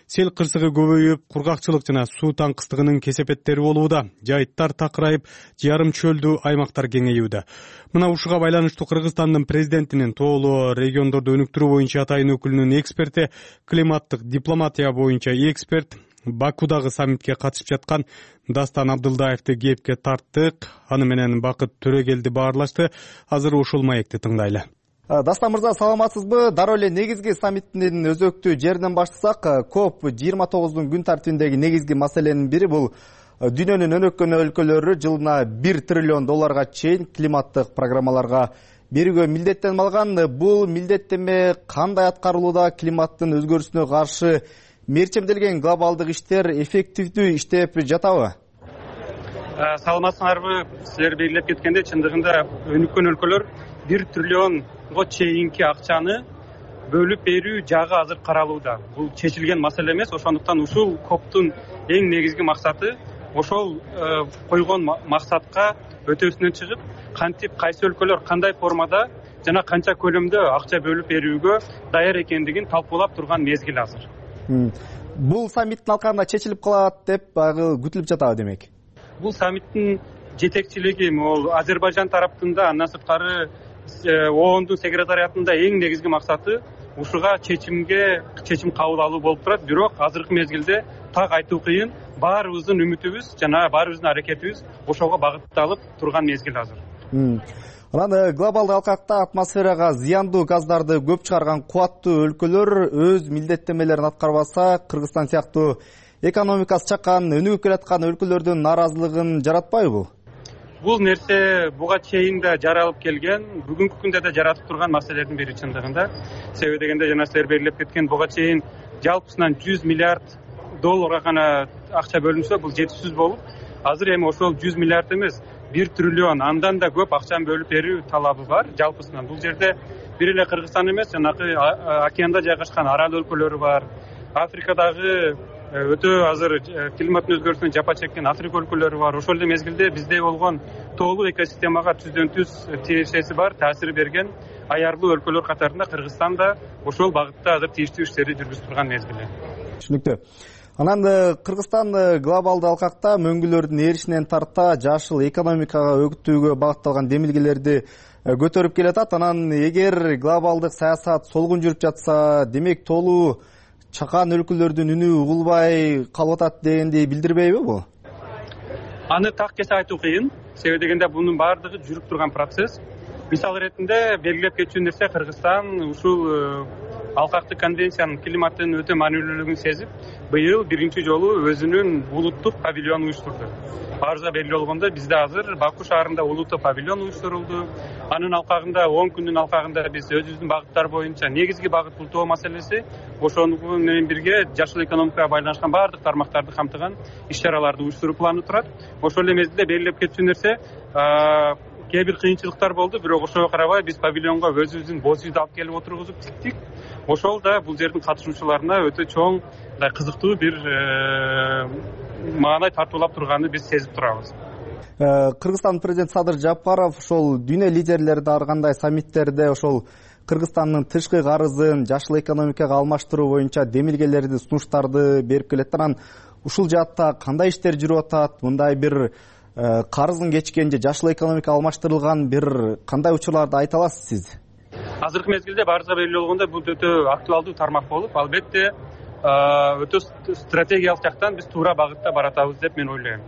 Сел кырсыгы көбөйүп, кургакчылык жана суу таңкыстыгынын кесепеттери болууда. Жайыттар такырайып, жарым чөлдүү аймактар кеңейүүдө. Мына ушуга байланыштуу Кыргызстандын президентинин тоолуу региондорду өнүктүрүү боюнча атайын өкүлүнүн эксперти, климаттык дипломатия боюнча эксперт Бакудагы саммитке катышып жаткан Дастан Абдылдаевди кепке тарттык. Аны менен Бакыт Төрөгелди баарлашты. Азыр ушул маекти тыңдайлы. Дастан мырза, саламатсызбы? Дароо эле негизги саммиттин өзөктүү жеринен баштасак, коп жыйырма тогуздун күн тартибиндеги негизги маселенин бири бул дүйнөнүн өнүккөн өлкөлөрү жылына бир триллион долларга чейин климаттык программаларга берүүгө милдеттенип алган. Бул милдеттенме кандай аткарылууда? Климаттын өзгөрүүсүнө каршы мерчемделген глобалдык иштер эффективдүү иштеп жатабы? Саламатсыңарбы? Силер белгилеп кеткендей, чындыгында өнүккөн өлкөлөр бир триллионго чейинки акчаны бөлүп берүү жагы азыр каралууда. Бул чечилген маселе эмес, ошондуктан ушул коптун эң негизги максаты ошол койгон максатка өтөсүнөн чыгып, кантип кайсы өлкөлөр кандай формада жана канча көлөмдө акча бөлүп берүүгө даяр экендигин талкуулап турган мезгил азыр. Бул саммиттин алкагында чечилип калат деп күтүлүп жатабы демек? Бул саммиттин жетекчилиги могул Азербайжан тараптында, андан сырткары оондун секретариатында эң негизги максаты ушуга чечимге чечим кабыл алуу болуп турат. Бирок азыркы мезгилде так айтуу кыйын. Баарыбыздын үмүтүбүз жана баарыбыздын аракетибиз ошого багытталып турган мезгил азыр. Анан глобалдык алкакта атмосферага зыяндуу газдарды көп чыгарган кубаттуу өлкөлөр өз милдеттенмелерин аткарбаса, Кыргызстан сыяктуу экономикасы чакан, өнүгүп келаткан өлкөлөрдүн нааразылыгын жаратпайбы бул? Бул нерсе буга чейин да жаралып келген, бүгүнкү күндө да жаратып турган маселелердин бири чындыгында. Себеби дегенде жана силер белгилеп кеткен, буга чейин жалпысынан жүз миллиард долларга гана акча бөлүнсө, бул жетишсиз болуп, азыр эми ошол жүз миллиард эмес, бир триллион, андан да көп акчаны бөлүп берүү талабы бар жалпысынан. Бул жерде бир эле Кыргызстан эмес, жанагы океанда жайгашкан арал өлкөлөрү бар. Африкадагы өтө азыр климаттын өзгөрүүсүнөн жапа чеккен Африка өлкөлөрү бар. Ошол эле мезгилде бизде болгон тоолуу экосистемага түздөн түз тиешеси бар, таасир берген аярлуу өлкөлөр катарында Кыргызстан да ошол багытта азыр тийиштүү иштерди жүргүзүп турган мезгили. Түшүнүктүү. Анан Кыргызстан глобалдык алкакта мөңгүлөрдүн эришинен тарта жашыл экономикага өгүттүүгө багытталган демилгелерди көтөрүп келатат. Анан эгер глобалдык саясат солгун жүрүп жатса, демек тоолуу чакан өлкөлөрдүн үнү угулбай калып атат дегенди билдирбейби бул? Аны так кесе айтуу кыйын. Себеби дегенде бунун баардыгы жүрүп турган процесс. Мисал иретинде белгилеп кетчү нерсе, Кыргызстан ушул алкактык конвенциянын климаттын өтө маанилүүлүгүн сезип, быйыл биринчи жолу өзүнүн улуттук павильонун уюштурду. Баарыбызга белгилүү болгондой, бизде азыр Баку шаарында улуттук павильон уюштурулду. Анын алкагында он күндүн алкагында биз өзүбүздүн багыттар боюнча негизги багыт бул тоо маселеси, ошону менен бирге жашыл экономикага байланышкан баардык тармактарды камтыган иш-чараларды уюштуруу планы турат. Ошол эле мезгилде белгилеп кетчү нерсе, кээ бир кыйынчылыктар болду, бирок ошого карабай биз павильонго өзүбүздүн боз үйдү алып келип отургузуп тиктик. Ошол да бул жердин катышуучуларына өтө чоң кызыктуу бир маанай тартуулап турганын биз сезип турабыз. Кыргызстан президенти Садыр Жапаров ошол дүйнө лидерлерди ар кандай саммиттерде ошол Кыргызстандын тышкы карызын жашыл экономикага алмаштыруу боюнча демилгелерди, сунуштарды берип келет. Анан ушул жаатта кандай иштер жүрүп атат? Мындай бир карызын кечкен же жашыл экономикага алмаштырылган бир кандай учурларды айта аласыз сиз? азыркы мезгилде баарыбызга белгилүү болгондой бул өтө актуалдуу тармак болуп, албетте өтө стратегиялык жактан биз туура багытта баратабыз деп мен ойлойм.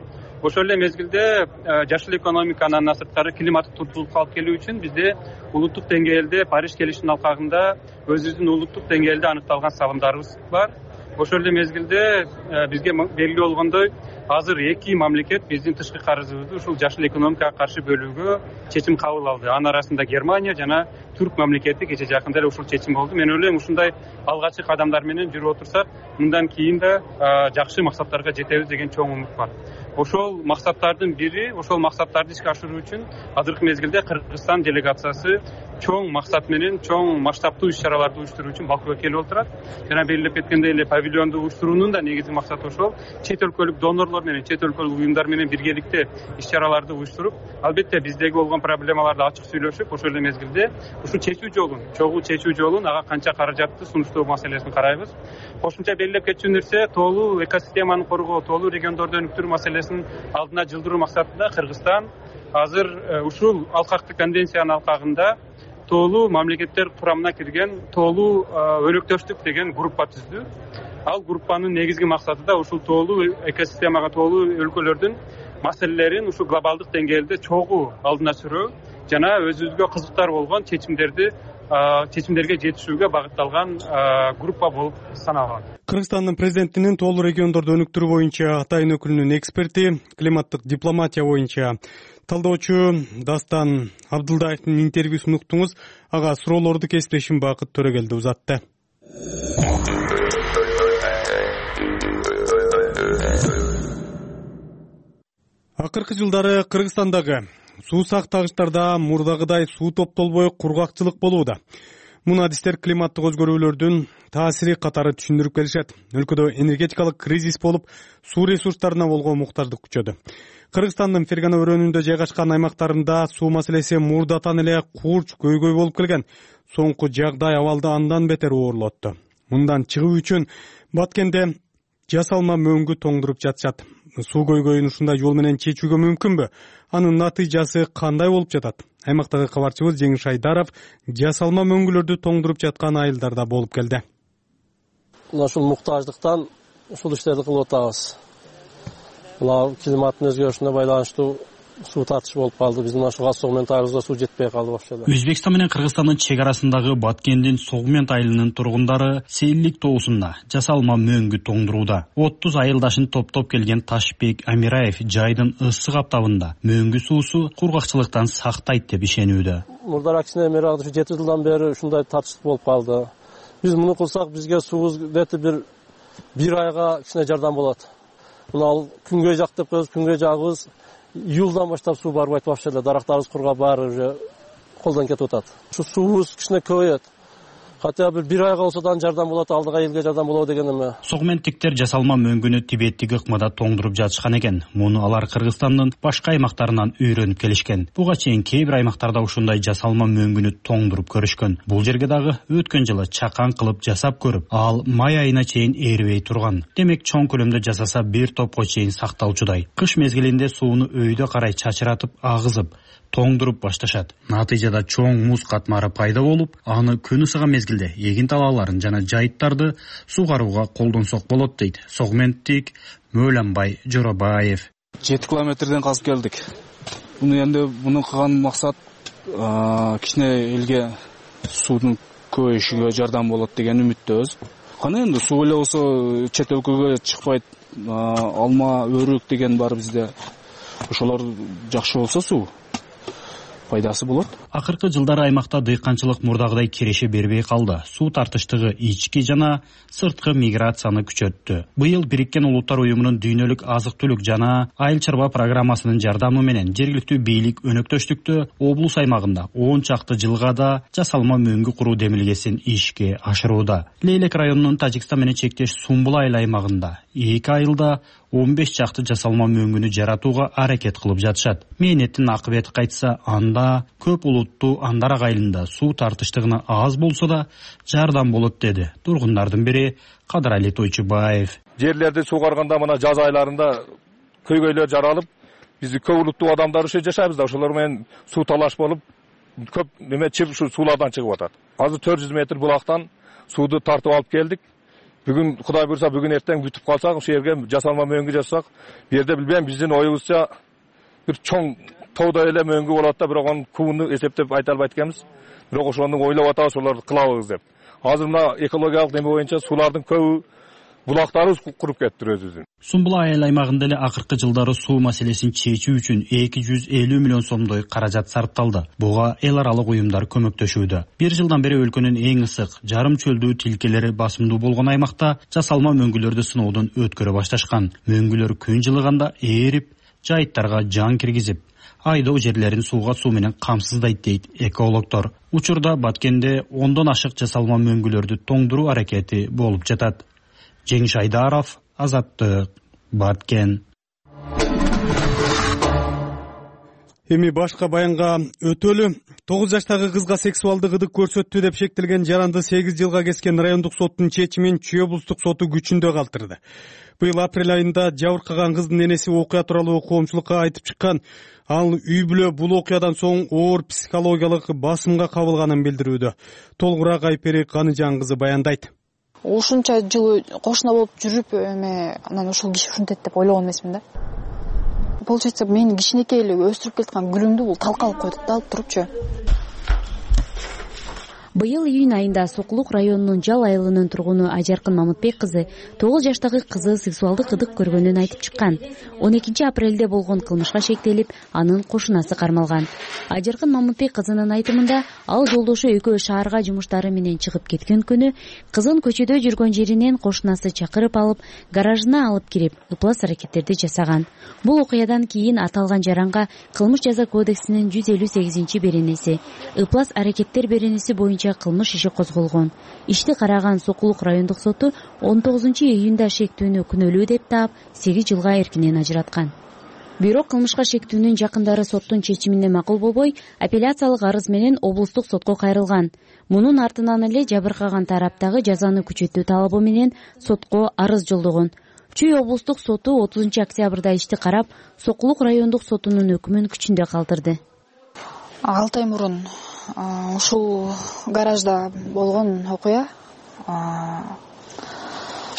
Ошол эле мезгилде жашыл экономиканы андан сырткары климаттык туруктуулукка алып келүү үчүн бизде улуттук деңгээлде Париж келишиминин алкагында өзүбүздүн улуттук деңгээлде аныкталган салымдарыбыз бар. Ошол эле мезгилде бизге белгилүү болгондой азыр эки мамлекет биздин тышкы карызыбызды ушул жашыл экономикага каршы бөлүүгө чечим кабыл алды. Анын арасында Германия жана Түрк мамлекети кечээ жакында эле ушул чечим болду. Мен ойлойм ушундай алгачкы кадамдар менен жүрүп отурсак, мындан кийин да жакшы максаттарга жетебиз деген чоң умут бар. Ошол максаттардын бири, ошол максаттарды ишке ашыруу үчүн азыркы мезгилде Кыргызстан делегациясы чоң максат менен чоң масштабтуу иш-чараларды уюштуруу үчүн Бакуга келип отурат. Жана белгилеп кеткендей эле павильонду уюштуруунун да негизги максаты ошол. Чет өлкөлүк донорлор менен, чет өлкөлүк уюмдар менен биргеликте иш-чараларды уюштуруп, албетте биздеги болгон проблемаларды ачык сүйлөшүп, ошол эле мезгилде ушул чечүү жолун, чогуу чечүү жолун, ага канча каражатты сунуштоо маселесин карайбыз. Кошумча белгилеп кетчү нерсе тоолуу экосистеманы коргоо, тоолуу региондорду өнүктүрүү маселесин алдына жылдыруу максатында Кыргызстан азыр ушул алкактык конвенциянын алкагында тоолуу мамлекеттер курамына кирген тоолуу өнөктөштүк деген группа түздү. Ал группанын негизги максаты да ушул тоолуу экосистемага тоолуу өлкөлөрдүн маселелерин ушул глобалдык деңгээлде чогуу алдына сүрүү жана өзүбүзгө кызыктар болгон чечимдерди чечимдерге жетишүүгө багытталган группа болуп саналат. Кыргызстандын президентинин тоолуу региондорду өнүктүрүү боюнча атайын өкүлүнүн эксперти, климаттык дипломатия боюнча талдоочу Дастан Абдылдаевдин интервьюсун уктуңуз. Ага суроолорду кесиптешим Бакыт Төрөгелди узатты. Акыркы жылдары Кыргызстандагы суусак тагычтарда мурдагыдай суу топтолбой кургакчылык болууда. Муну адистер климаттык өзгөрүүлөрдүн таасири катары түшүндүрүп келишет. Өлкөдө энергетикалык кризис болуп, суу ресурстарына болгон муктаждык күчөдү. Кыргызстандын Фергана өрөөнүндө жайгашкан аймактарында суу маселеси мурдатан эле курч көйгөй болуп келген. Соңку жагдай абалды андан бетер оорлотту. Мындан чыгуу үчүн Баткенде жасалма мөңгү тоңдуруп жатышат. Суу көйгөйүн ушундай жол менен чечүүгө мүмкүнбү? Анын натыйжасы кандай болуп жатат? Аймактагы кабарчыбыз Жеңиш Айдаров жасалма мөңгүлөрдү тоңдуруп жаткан айылдарда болуп келди. Ушул муктаждыктан ушул иштерди кылып атабыз. Мына климаттын өзгөрүшүнө байланыштуу суу тартыш болуп калды. Биздин ушул газ согментарыбызга суу жетпей калды вообще. Өзбекстан менен Кыргызстандын чек арасындагы Баткендин Согмент айылынын тургундары Сейилдик тоосунда жасалма мөңгү тоңдурууда. отуз айылдашын топтоп келген Ташбек Амираев жайдын ысык аптабында мөңгү суусу кургакчылыктан сактайт деп ишенүүдө. Мурдара кичине эмерагы жети жылдан бери ушундай тартыш болуп калды. Биз муну кылсак бизге суубуз дети бир бир айга кичине жардам болот. Мына күнгөй жак деп коебуз, күнгөй жагыбыз июлдан баштап суу барбайт вообще эле. Дарактарыбыз кургап баары уже колдон кетип атат. Ушу суубуз кичине көбөйөт. Хотя бир бир айга болсо да жардам болот, алдыга элге жардам болобу деген эме. Согменттиктер жасалма мөңгүнү Тибеттик ыкмада тоңдуруп жатышкан экен. Муну алар Кыргызстандын башка аймактарынан үйрөнүп келишкен. Буга чейин кээ бир аймактарда ушундай жасалма мөңгүнү тоңдуруп көрүшкөн. Бул жерге дагы өткөн жылы чакан кылып жасап көрүп, ал май айына чейин эрибей турган. Демек чоң көлөмдө жасаса бир топко чейин сакталчудай. Кыш мезгилинде сууну өйдө карай чачыратып, агызып, тоңдуруп башташат. Натыйжада чоң муз катмары пайда болуп, аны күн ысыган мезгилде эгин талааларын жана жайыттарды суугарууга колдонсок болот дейт Согменттик Мөөлөнбай Жоробаев. жети километрден казып келдик. Муну энди муну кылган максат кичине элге суунун көбөйүшүгө жардам болот деген үмүттөбүз. Кана энди суу эле болсо чет өлкөгө чыкпайт. Алма, өрүк деген бар бизде. Ошолор жакшы болсо суу пайдасы болот. Акыркы жылдары аймакта дыйканчылык мурдагыдай киреше бербей калды. Суу тартыштыгы ички жана сырткы миграцияны күчөттү. Быйыл Бириккен Улуттар уюмунун дүйнөлүк азык-түлүк жана айыл чарба программасынын жардамы менен жергиликтүү бийлик өнөктөштүктө облус аймагында он чакты жылга да жасалма мөңгү куруу демилгесин ишке ашырууда. Лейлек районунун Тажикстан менен чектеш Сумбул айыл аймагында эки айылда он беш чакты жасалма мөңгүнү жаратууга аракет кылып жатышат. Мээнеттин акыбети кайтса, анда көп улуттуу андарак айылында суу тартыштыгына аз болсо да жардам болот деди тургундардын бири Кадырали Тойчубаев. Жерлерди суугарганда мына жаз айларында көйгөйлөр жаралып, биз көп улуттуу адамдар ошо жашайбыз да, ошолор менен суу талаш болуп, көп неме чып ушу суулардан чыгып атат. азыр төрт жүз метр булактан сууду тартып алып келдик. Бүгүн Кудай буйрса бүгүн эртең бүтүп калсак, ошол жерге жасалма мөңгү жасасак, бу жерде билбейм биздин оюбузча бир чоң тоодой эле мөңгү болот да, бирок анын кубуну эсептеп айта албайт экенбиз. Бирок ошону ойлоп атабыз, ошолорду кылабыз деп. Азыр мына экологиялык неме боюнча суулардын көбү булактарыбыз куруп кетти өзүбүздүн. Сумбул айыл аймагында эле акыркы жылдары суу маселесин чечүү үчүн эки жүз элүү миллион сомдой каражат сарпталды. Буга эл аралык уюмдар көмөктөшүүдө. Бир жылдан бери өлкөнүн эң ысык, жарым чөлдүү тилкелери басымдуу болгон аймакта жасалма мөңгүлөрдү сыноодон өткөрө башташкан. Мөңгүлөр күн жылыганда ээрип, жайыттарга жан киргизип, айдоо жерлерин сууга суу менен камсыздайт дейт экологдор. Учурда Баткенде ондон ашык жасалма мөңгүлөрдү тоңдуруу аракети болуп жатат. Жеңиш Айдаров, Азаттык, Баткен. Эми башка баянга өтөлү. тогуз жаштагы кызга сексуалдык ыдык көрсөттү деп шектелген жаранды сегиз жылга кескен райондук соттун чечимин Чүй облустук соту күчүндө калтырды. Быйыл апрель айында жабыркаган кыздын энеси окуя тууралуу коомчулукка айтып чыккан. Ал үй бүлө бул окуядан соң оор психологиялык басымга кабылганын билдирүүдө. Толугураак Айпери Каныжан кызы баяндайт. Ушунча жыл кошуна болуп жүрүп, эме анан ушул киши ушинтет деп ойлогон эмесмин да. Получается, мен кичинекей эле өстүрүп келаткан гүлүмдү бул талкалап койдук да, алып турупчу. Быйыл июнь айында Сокулук районунун Жал айылынын тургуну Ажаркын Мамытбек кызы тогуз жаштагы кызы сексуалдык ыдык көргөнүн айтып чыккан. он экинчи апрелде болгон кылмышка шектелип, анын кошунасы кармалган. Ажаркын Мамытбек кызынын айтымында, ал жолдошу экөө шаарга жумуштары менен чыгып кеткен күнү кызын көчөдө жүргөн жеринен кошунасы чакырып алып, гаражына алып кирип, ыплас аракеттерди жасаган. Бул окуядан кийин аталган жаранга Кылмыш жаза кодексинин жүз элүү сегизинчи беренеси, ыплас аракеттер беренеси боюнча кылмыш иши козголгон. Ишти караган Сокулук райондук соту он тогузунчу июнда шектүүнү күнөөлүү деп таап, сегиз жылга эркинен ажыраткан. Бирок кылмышка шектүүнүн жакындары соттун чечимине макул болбой, апелляциялык арыз менен облустук сотко кайрылган. Мунун артынан эле жабыркаган тараптагы жазаны күчөтүү талабы менен сотко арыз жолдогон. Чүй облустук соту отузунчу октябрда ишти карап, Сокулук райондук сотунун өкүмүн күчүндө калтырды. алты ай мурун ушул гаражда болгон окуя.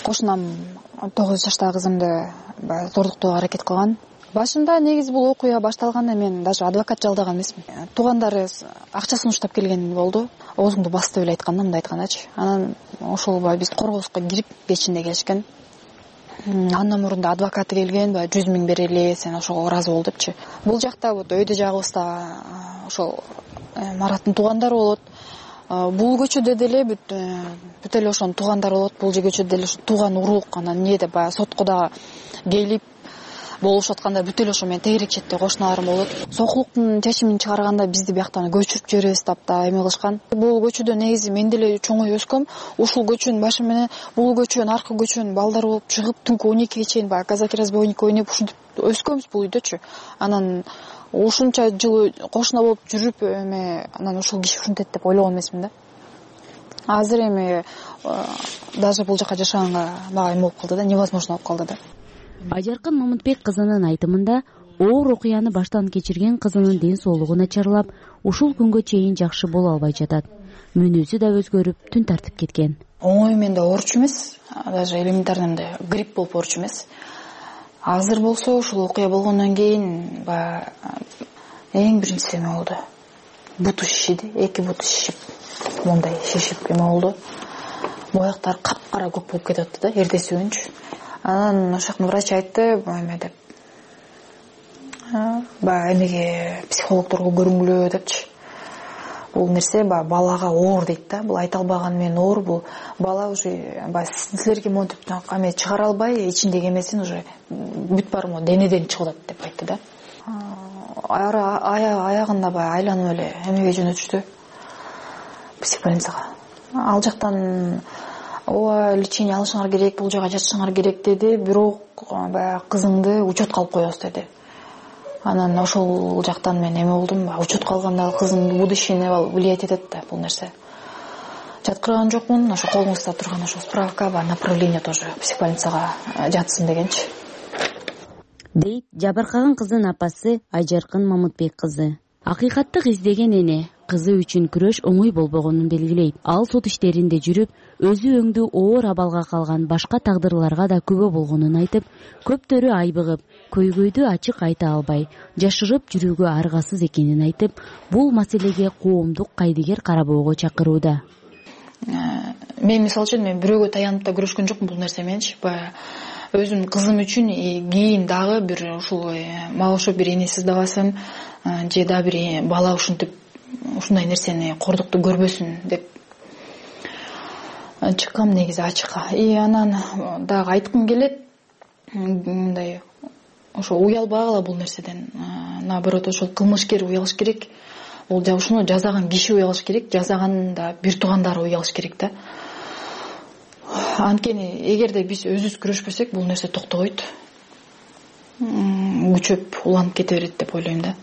Кошунам тогуз жаштагы кызымды зордуктоого аракет кылган. Башында негизи бул окуя башталганда мен даже адвокат жалдаган эмесмин. Туугандары акчасын уштап келген болду. Оозуңду бас деп эле айтканда, мындай айткандачы. Анан ошол биз коргооско кирип кечинде келишкен. Андан мурун да адвокаты келген, жүз миң берели, сен ошого ыраазы бол депчи. Бул жакта вот өйдө жагыбызда ошол Мараттын туугандары болот. Бул көчөдө деле бүт эле ошонун туугандары болот. Бул көчөдө деле тууган урук, анан эмнеде баягы сотко да келип болушуп атканда бүт эле ошо менен тегерек четте кошуналарым болот. Сокулуктун чечимин чыгарганда бизди бияктан көчүрүп жиберебиз деп да эме кылышкан. Бул көчөдө негизи мен деле чоңой өскөм. Ушул көчөнүн башы менен бул көчөнүн аркы көчөнүн балдары болуп чыгып түнкү он экиге чейин баягы казаки разбойник ойноп ушинтип өскөнбүз бул үйдөчү. Анан ушунча жыл кошуна болуп жүрүп, эме анан ушул киши ушинтет деп ойлогон эмесмин да. Азыр эми даже бул жака жашаганга мага эме болуп калды да, невозможно болуп калды да. Ажаркын Мамытбек кызынын айтымында, оор окуяны баштан кечирген кызынын ден соолугу начарлап, ушул күнгө чейин жакшы боло албай жатат. Мүнөзү да өзгөрүп, түн тартып кеткен. Оңой менде ооруч эмес, даже элементарный грипп болуп ооруч эмес. Азыр болсо ушул окуя болгондон кийин баягы эң биринчиси эме болду. Буту шишиди, эки буту шишип, мондай шишип эме болду. Бояктар капкара көк болуп кетип атты да, эртеси күнчү. Анан ошоктун врач айтты, эме деп. Баягы эмеге психологдорго көрүнгүлө депчи. Бул нерсе баягы балага оор дейт да. Бул айта албаган менен оор, бул бала уже баягы силерге монтип эме чыгара албай, ичиндеги эмесин уже бүт баары могу денеден чыгып атат деп айтты да. Аягында баягы айланып эле эмеге жөнөтүштү. Психбольницага. Ал жактан ооба лечение алышыңар керек, бул жака жатышыңар керек деди, бирок баягы кызыңды учетко алып коебуз деди. Анан ошол жактан мен эме болдум, учетко алганда кызым будущее влиять этет да бул нерсе. Жаткырган жокмун, ошо колуңузда турган ошо справка бар, направление тоже психбольницага жатсын дегенчи. Дейт жабыркаган кыздын апасы Ажаркын Мамытбек кызы. Акыйкаттык издеген эне, кызы үчүн күрөш оңой болбогонун белгилейт. Ал сот иштеринде жүрүп, өзү өңдүү оор абалга калган башка тагдырларга да күбө болгонун айтып, көптөрү айбыгып, көйгөйдү ачык айта албай, жашырып жүрүүгө аргасыз экенин айтып, бул маселеге коомдук кайдыгер карабоого чакырууда. Мен мисалы үчүн мен бирөөгө таянып да күрөшкөн жокмун бул нерсе менчи. Баягы өзүмдүн кызым үчүн кийин дагы бир ушул мага окшоп бир эне сыздабасын же да бир бала ушинтип ушундай нерсени кордукту көрбөсүн деп чыккам негизи ачыкка. И анан дагы айткым келет, мындай ошо уялбагыла бул нерседен. Наоборот, ошол кылмышкер уялыш керек. Ол ушуну жасаган киши уялыш керек, жасаганын да бир туугандары уялыш керек да. Анткени эгерде биз өзүбүз күрөшпөсөк, бул нерсе токтобойт. Күчөп уланып кете берет деп ойлойм да.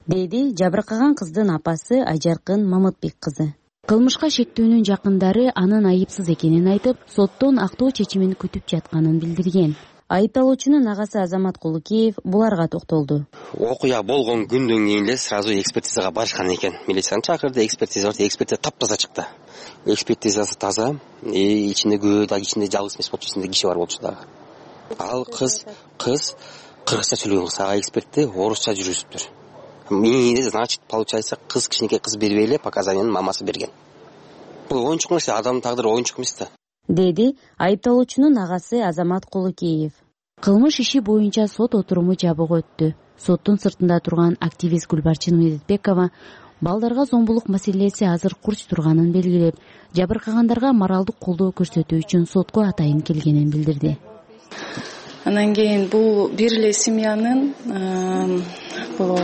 Деди жабыркаган кыздын апасы Айжаркын Мамытбек кызы. Кылмышка шектүүнүн жакындары анын айыпсыз экенин айтып, соттон актоо чечимин күтүп жатканын билдирген. Айыпталуучунун агасы Азамат Кулукеев буларга токтолду. Окуя болгон күндөн кийин эле сразу экспертизага барышкан экен. Милицияны чакырды, экспертиза бар, экспертиза таптаза чыкты. Экспертизасы таза, и ичинде көө да, ичинде жалгыз эмес болчу, ичинде киши бар болчу дагы. Ал кыз, кыз кыргызча сүйлөгөн кыз, ага экспертти орусча жүргүзүптүр. Мени значит, получается, кыз кичинекей кыз бербей эле показанияны мамасы берген. Бул оюнчук нерсе, адамдын тагдыры оюнчук эмес да. Деди айыпталуучунун агасы Азамат Кулукеев. Кылмыш иши боюнча сот отуруму жабык өттү. Соттун сыртында турган активист Гүлбарчын Медетбекова балдарга зомбулук маселеси азыр курч турганын белгилеп, жабыркагандарга моралдык колдоо көрсөтүү үчүн сотко атайын келгенин билдирди. Анан кийин бул бир эле семьянын бул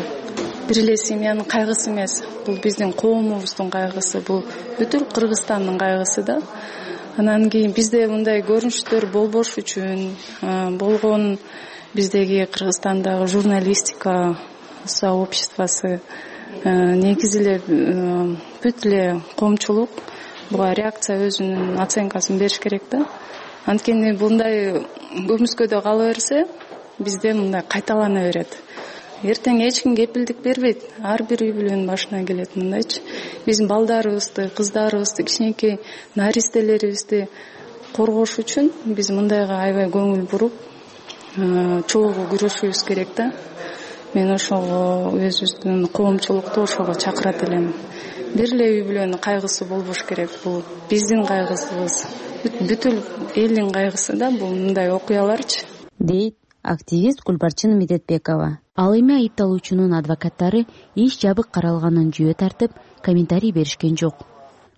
бир эле семьянын кайгысы эмес, бул биздин коомубуздун кайгысы, бул бүтүн Кыргызстандын кайгысы да. Анан кийин бизде мындай көрүнүштөр болбош үчүн болгон биздеги Кыргызстандагы журналистика сообществосы негизи эле бүт эле коомчулук буга реакция өзүнүн оценкасын бериш керек да. Анткени мындай көмүскөдө кала берсе, бизде мындай кайталана берет. Эртең эч ким кепилдик бербейт. Ар бир үй бүлөнүн башына келет мындайчы. Биздин балдарыбызды, кыздарыбызды, кичинекей наристелерибизди коргош үчүн биз мындайга аябай көңүл буруп, чогуу күрөшүбүз керек да. Мен ошого өзүбүздүн коомчулукту ошого чакырат элем. Бир эле үй бүлөнүн кайгысы болбош керек. Бул биздин кайгыбыз, бүтүн элдин кайгысы да, бул мындай окуяларчы. Дейт активист Гүлбарчын Медетбекова. Ал эми айыпталуучунун адвокаттары иш жабык каралганын жөө тартып, комментарий беришкен жок.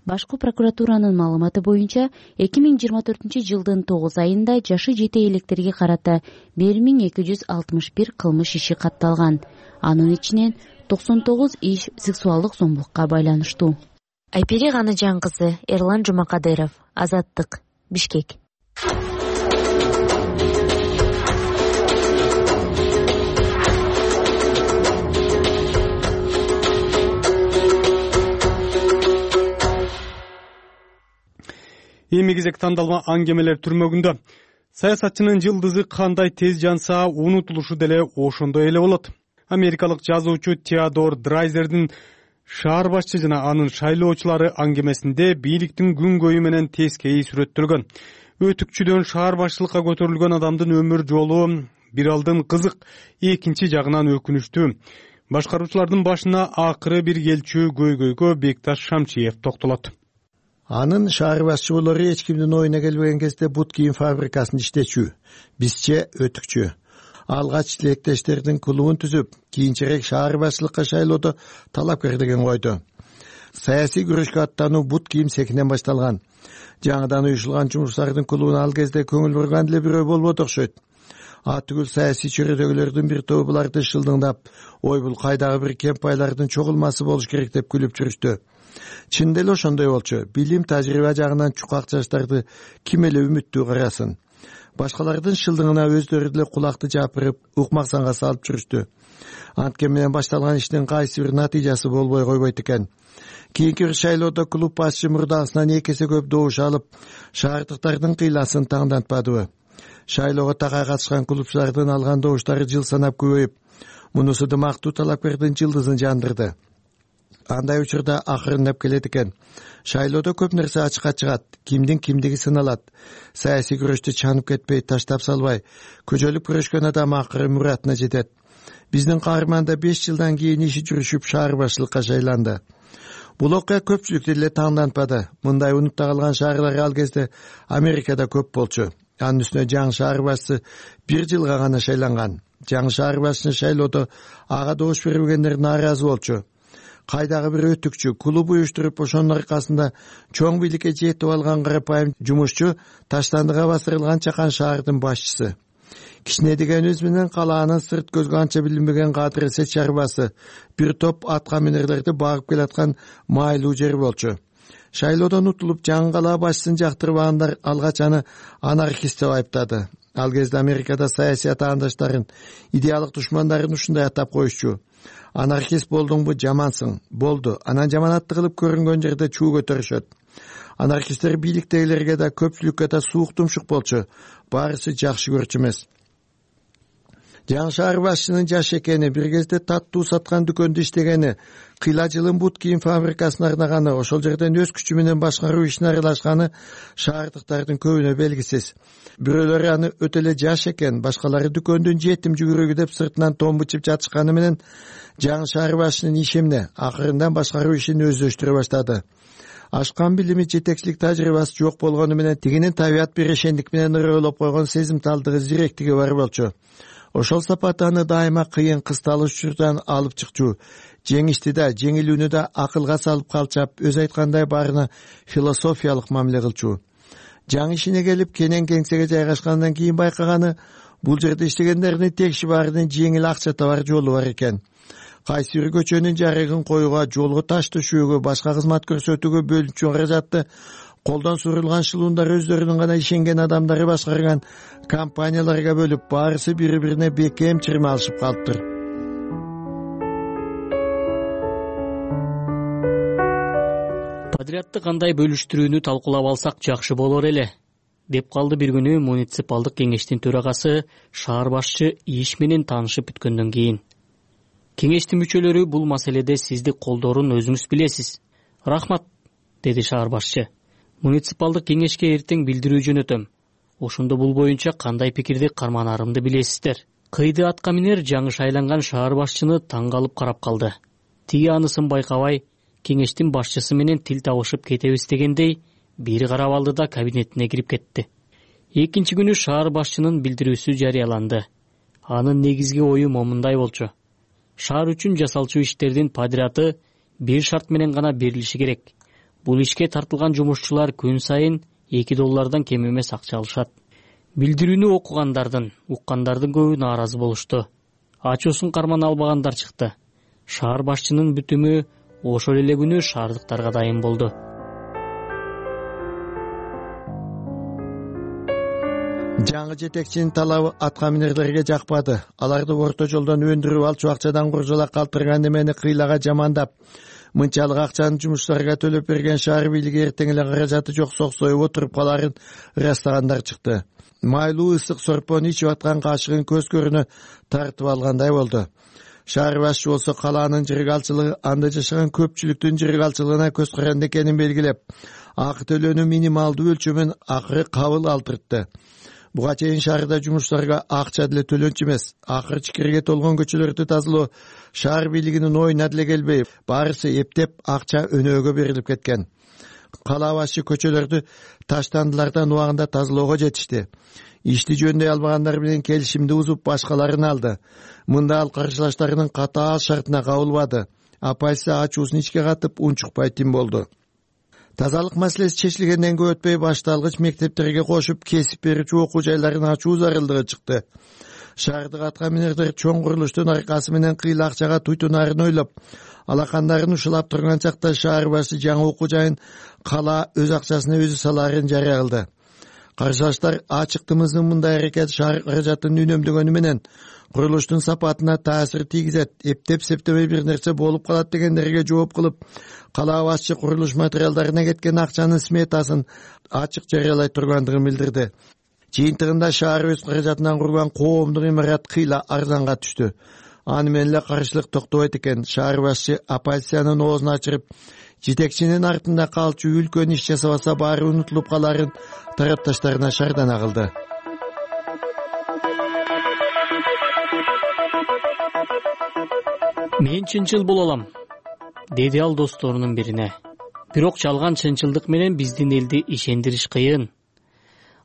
Башкы прокуратуранын маалыматы боюнча эки миң жыйырма төртүнчү жылдын тогуз айында жашы жете электерге карата бир миң эки жүз алтымыш бир кылмыш иши катталган. Анын ичинен токсон тогуз иш сексуалдык зомбулукка байланыштуу. Айпери Ганычан кызы, Эрлан Жумакадыров, Азаттык, Бишкек. Эми кезек тандалма аңгемелер түрмөгүндө. Саясатчынын жылдызы кандай тез жанса, унутулушу деле ошондой эле болот. Америкалык жазуучу Теодор Драйзердин шаар башчы жана анын шайлоочулары аңгемесинде бийликтин күнгөйү менен тескейи сүрөттөлгөн. Өтүкчүдөн шаар башчылыкка көтөрүлгөн адамдын өмүр жолу бир алдын кызык, экинчи жагынан өкүнүчтүү. Башкаруучулардын башына акыры бир келчү көйгөйгө Бекташ Шамчиев токтолот. Анын шаар башчылары эч кимдин оюна келбеген кезде бут кийим фабрикасында иштечү, бизче өтүкчү. Алгач тилектештердин клубун түзүп, кийинчерээк шаар башчылыкка шайлоодо талапкер деген койду. Саясий күрөшкө аттануу бут кийим цехинен башталган. Жаңыдан уюшулган жумуштардын клубуна ал кезде көңүл бурган деле бирөө болбоду окшойт. А түгүл саясий чөрөдөгүлөрдүн бир тобу буларды шылдыңдап, ой бул кайдагы бир кемпайлардын чогулмасы болуш керек деп күлүп жүрүштү. Чында эле ошондой болчу. Билим, тажрыйба жагынан чукак жаштарды ким эле үмүттүү карасын. Башкалардын шылдыңына өздөрү деле кулакты жапырып, укмаксанга салып жүрүштү. Анткени менен башталган иштин кайсы бир натыйжасы болбой койбойт экен. Кийинки шайлоодо клуб башчы мурдагысынан эки эсе көп добуш алып, шаардыктардын кыйласын таңдантпадыбы. Шайлоого такай катышкан клубчулардын алган добуштары жыл санап көбөйүп, мунусу дымактуу талапкердин жылдызын жандырды. андай учурда акырындап келет экен. Шайлоодо көп нерсе ачыкка чыгат, кимдин кимдиги сыналат. Саясий күрөштү чанып кетпей, таштап салбай, көчөлүп күрөшкөн адам акыры муратына жетет. Биздин каарман да беш жылдан кийин иши жүрүшүп шаар башчылыкка шайланды. Бул окуя көпчүлүктү эле таңдантпады. Мындай унутта калган шаарлар ал кезде Америкада көп болчу. Анын үстүнө жаңы шаар башчысы бир жылга гана шайланган. Жаңы шаар башчыны шайлоодо ага добуш бербегендер нааразы болчу. Кайдагы бир өтүкчү клуб уюштуруп, ошонун аркасында чоң бийликке жетип алган карапайым жумушчу таштандыга басырылган чакан шаардын башчысы. Кичине дегенибиз менен калаанын сырт көзгө анча билинбеген кадыр эсет чарбасы, бир топ атка минерлерди багып келаткан майлуу жер болчу. Шайлоодон утулуп жаңы калаа башчысын жактырбагандар алгач аны анархист деп айыптады. Ал кезде Америкада саясий атаандаштарын, идеалдык душмандарын ушундай атап коюшчу. Анархист болдуңбу жамансың, болду. Анан жаманатты кылып көрүнгөн жерде чуу көтөрүшөт. Анархисттер бийликтегилерге да көпчүлүккө да суук тумшук болчу. Баарысы жакшы көрчү эмес. Жаңы шаар башчынын жаш экени, бир кезде таттуу саткан дүкөндө иштегени, кыйла жылын бут кийим фабрикасына арнаганы, ошол жерден өз күчү менен башкаруу ишине аралашканы шаардыктардын көбүнө белгисиз. Бирөөлөрү аны өтө эле жаш экен, башкалары дүкөндүн жетим жүгүрөгү деп сыртынан том бычып жатышканы менен жаңы шаар башчынын иши эмне? Акырындан башкаруу ишин өздөштүрө баштады. Ашкан билими, жетекчилик тажрыйбасы жок болгону менен тигинин табият берешендик менен ырыөлоп койгон сезимталдыгы, зиректиги бар болчу. Ошол сапаты аны дайыма кыйын кысталыш учурдан алып чыкчу. Жеңишти да, жеңилүүнү да акылга салып калчап, өз айткандай баарына философиялык мамиле кылчу. Жаңы ишине келип, кенен кеңсеге жайгашкандан кийин байкаганы, бул жерде иштегендердин текши баарынын жеңил акча табар жолу бар экен. Кайсы бир көчөнүн жарыгын коюуга, жолго таш төшөөгө, башка кызмат көрсөтүүгө бөлүнчү каражатты колдон сурулган шылуундар өздөрүнүн гана ишенген адамдары башкарган компанияларга бөлүп, баарысы бири-бирине бекем чырма алышып калыптыр. Подрядты кандай бөлүштүрүүнү талкуулап алсак жакшы болор эле, деп калды бир күнү муниципалдык кеңештин төрагасы шаар башчы иш менен таанышып бүткөндөн кийин. Кеңештин мүчөлөрү бул маселеде сизди колдоорун өзүңүз билесиз. Рахмат, деди шаар башчы. Муниципалдык кеңешке эртең билдирүү жөнөтөм. Ошондо бул боюнча кандай пикирди карманарымды билесиздер. Кыйды атка минер жаңы шайланган шаар башчыны таң калып карап калды. Тиги анысын байкабай, кеңештин башчысы менен тил табышып кетебиз дегендей, бир карап алды да кабинетине кирип кетти. Экинчи күнү шаар башчынын билдирүүсү жарыяланды. Анын негизги ою момундай болчу. Шаар үчүн жасалчу иштердин подряды бир шарт менен гана берилиши керек. Бул ишке тартылган жумушчулар күн сайын эки доллардан кем эмес акча алышат. Билдирүүнү окугандардын, уккандардын көбү нааразы болушту. Ачуусун карман албагандар чыкты. Шаар башчынын бүтүмү ошол эле күнү шаардыктарга дайын болду. Жаңы жетекчинин талабы атка минерлерге жакпады. Аларды орто жолдон өндүрүп алчу акчадан куржала калтырган эмени кыйлага жамандап, мынчалык акчаны жумушчуларга төлөп берген шаар бийлиги эртең эле каражаты жок соксоюп отуруп каларын ырастагандар чыкты. Майлуу ысык сорпону ичип аткан кашыгын көз көрүнө тартып алгандай болду. Шаар башчы болсо калаанын жыргалчылыгы анда жашаган көпчүлүктүн жыргалчылыгына көз каранды экенин белгилеп, акы төлөөнү минималдуу өлчөмүн акыры кабыл алдыртты. Буга чейин шаарда жумушчуларга акча деле төлөнчү эмес, акыр чикирге толгон көчөлөрдү тазалоо шаар бийлигинин оюна деле келбей, баарысы эптеп акча өнөөгө берилип кеткен. Калаа башчы көчөлөрдү таштандылардан убагында тазалоого жетишти. Ишти жөндөй албагандар менен келишимди бузуп башкаларын алды. Мында ал каршылаштарынын катаал шартына кабылбады. Апайсы ачуусун ичке катып унчукпай тим болду. Тазалык маселеси чечилгенден көп өтпөй башталгыч мектептерге кошуп кесип берүүчү окуу жайларын ачуу зарылдыгы чыкты. Шаардык атка минерлер чоң курулуштун аркасы менен кыйла акчага туйтунаарын ойлоп, алакандарын ушулап турган чакта шаар башы жаңы окуу жайын калаа өз акчасына өзү салаарын жарыя кылды. Каршылаштар ачыктымыздын мындай аракети шаар каражатын үнөмдөгөнү менен курулуштун сапатына таасир тийгизет, эптеп септебей бир нерсе болуп калат дегендерге жооп кылып, калаа башчы курулуш материалдарына кеткен акчанын сметасын ачык жарыялай тургандыгын билдирди. Жыйынтыгында шаар өз каражатынан курулган коомдук имарат кыйла арзанга түштү. аны менен эле каршылык токтобойт экен. Шаар башчы оппозициянын оозун ачырып, жетекчинин артында калчу үлкөн иш жасабаса баары унутулуп каларын тарапташтарына шардана кылды. Мен чынчыл боло алам, деди ал досторунун бирине. Бирок жалган чынчылдык менен биздин элди ишендириш кыйын.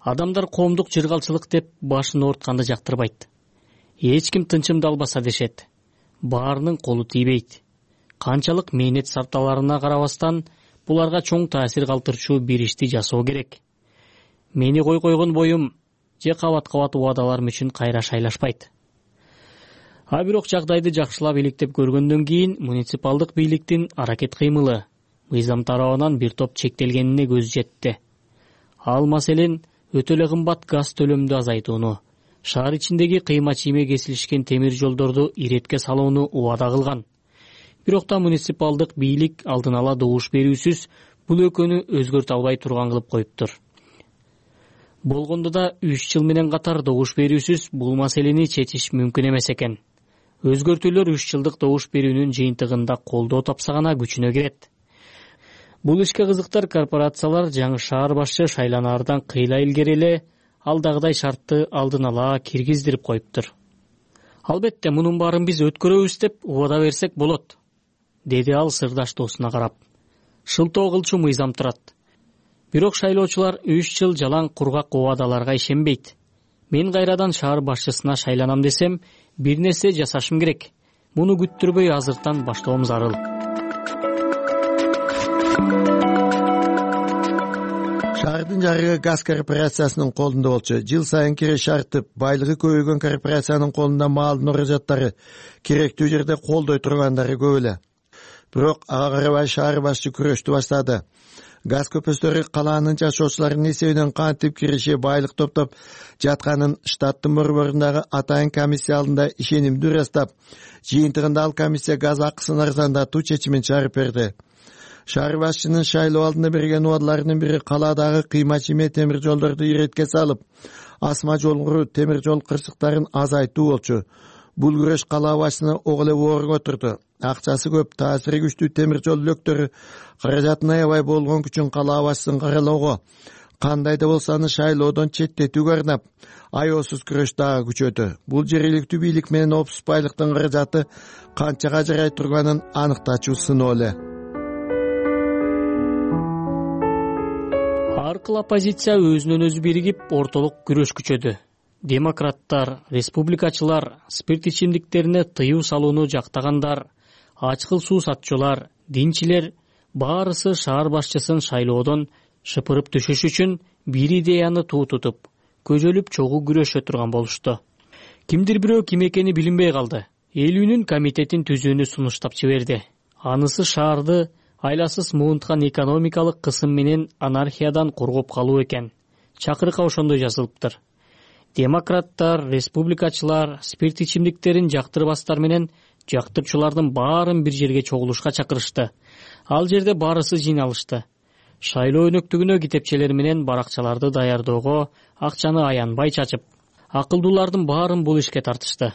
Адамдар коомдук жыргалчылык деп башын оортканды жактырбайт. Эч ким тынчымды албаса дешет. Баарынын колу тийбейт. Канчалык мээнет сарталарына карабастан буларга чоң таасир калтырчу бир ишти жасоо керек. Мени кой койгон боюм же кабат-кабат убадаларым үчүн кайра шайлашпайт. А бирок жагдайды жакшылап иликтеп көргөндөн кийин муниципалдык бийликтин аракет кыймылы мыйзам тарабынан бир топ чектелгенине көз жетти. Ал маселен өтө эле кымбат газ төлөмдү азайтууну, шаар ичиндеги кыйма чийме кесилишкен темир жолдорду иретке салууну убада кылган. Бирок да муниципалдык бийлик алдын ала добуш берүүсүз бул экөөнү өзгөртө албай турган кылып коюптур. Болгондо да үч жыл менен катар добуш берүүсүз бул маселени чечиш мүмкүн эмес экен. Өзгөртүүлөр үч жылдык добуш берүүнүн жыйынтыгында колдоо тапса гана күчүнө кирет. Бул ишке кызыктар корпорациялар жаңы шаар башчы шайланаардан кыйла илгери эле алдагыдай шартты алдын ала киргиздирип коюптур. Албетте мунун баарын биз өткөрөбүз деп убада берсек болот, деди ал сырдаш досуна карап. Шылтоо кылчу мыйзам турат. Бирок шайлоочулар үч жыл жалаң кургак убадаларга ишенбейт. Мен кайрадан шаар башчысына шайланам десем, бир нерсе жасашым керек. Муну күттүрбөй азыртан баштоом зарыл. Шаардын жарыгы газ корпорациясынын колунда болчу. Жыл сайын киреш артып, байлыгы көбөйгөн корпорациянын колунда маалдын уражаттары керектүү жерде колдой тургандары көп эле. Бирок ага карабай шаар башчы күрөштү баштады. Газ көпөстөрү калаанын жашоочуларынын эсебинен кантип киреше байлык топтоп жатканын штаттын борборундагы атайын комиссия алдында ишенимдүү ырастап, жыйынтыгында ал комиссия газ акысын арзандатуу чечимин чыгарып берди. Шаар башчынын шайлоо алдында берген убадаларынын бири калаадагы кыйма чийме темир жолдорду иретке салып, асма жолгуру темир жол кырсыктарын азайтуу болчу. Бул күрөш кала башчысына ого эле оорго турду. Акчасы көп, таасири күчтүү темир жол үлөктөрү каражатын аябай болгон үчүн кала башчысын каралоого, кандай да болсо аны шайлоодон четтетүүгө арнап, аеосуз күрөш дагы күчөдү. Бул жергиликтүү бийлик менен опсуз байлыктын каражаты канчага жарай турганын аныктачуу сыноо эле. Аркыл оппозиция өзүнөн өзү биригип ортолук күрөш күчөдү. Демократтар, республикачылар, спирт ичимдиктерине тыюу салууну жактагандар, ачкыл суу сатчулар, динчилер баарысы шаар башчысын шайлоодон шыпырып түшүш үчүн бир идеяны туу тутуп, көжөлүп чогуу күрөшө турган болушту. Кимдир бирөө ким экени билинбей калды. Элүүнүн комитетин түзүүнү сунуштап жиберди. Анысы шаарды айласыз муунткан экономикалык кысым менен анархиядан коргоп калуу экен. Чакырык ошондой жазылыптыр. Демократтар, республикачылар спирт ичимдиктерин жактырбастар менен жактырчулардын баарын бир жерге чогулушка чакырышты. Ал жерде баарысы жыйналышты. Шайлоо өнөктүгүнө китепчелер менен баракчаларды даярдоого акчаны аянбай чачып, акылдуулардын баарын бул ишке тартышты.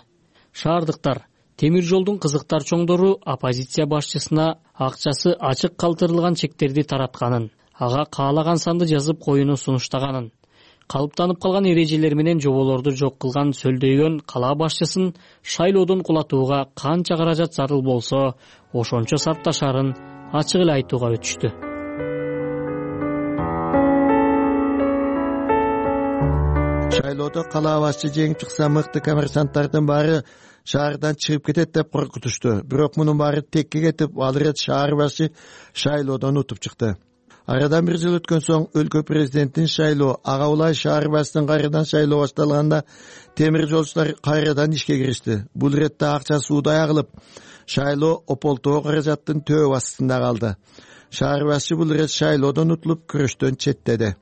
Шаардыктар, темир жолдун кызыктар чоңдору оппозиция башчысына акчасы ачык калтырылган чектерди таратканын, ага каалаган санды жазып коюуну сунуштаганын, калыптанып калган эрежелер менен жоболорду жок кылган сөлдөйгөн кала башчысын шайлоодон кулатууга канча каражат зарыл болсо, ошончо сарпташарын ачык эле айтууга өтүштү. Шайлоодо кала башчы жеңип чыкса, мыкты коммерсанттардын баары шаардан чыгып кетет деп коркутушту. Бирок мунун баары текке кетип, ал ирет шаар башчы шайлоодон утуп чыкты. Арадан бир жыл өткөн соң өлкө президентин шайлоо, ага улай шаар башчысынын кайрадан шайлоо башталганда темир жолчулар кайрадан ишке киришти. Бул иретте акча суудай агылып, шайлоо ополтоо каражаттын төбө астында калды. Шаар башчы бул ирет шайлоодон утулуп, күрөштөн четтеди.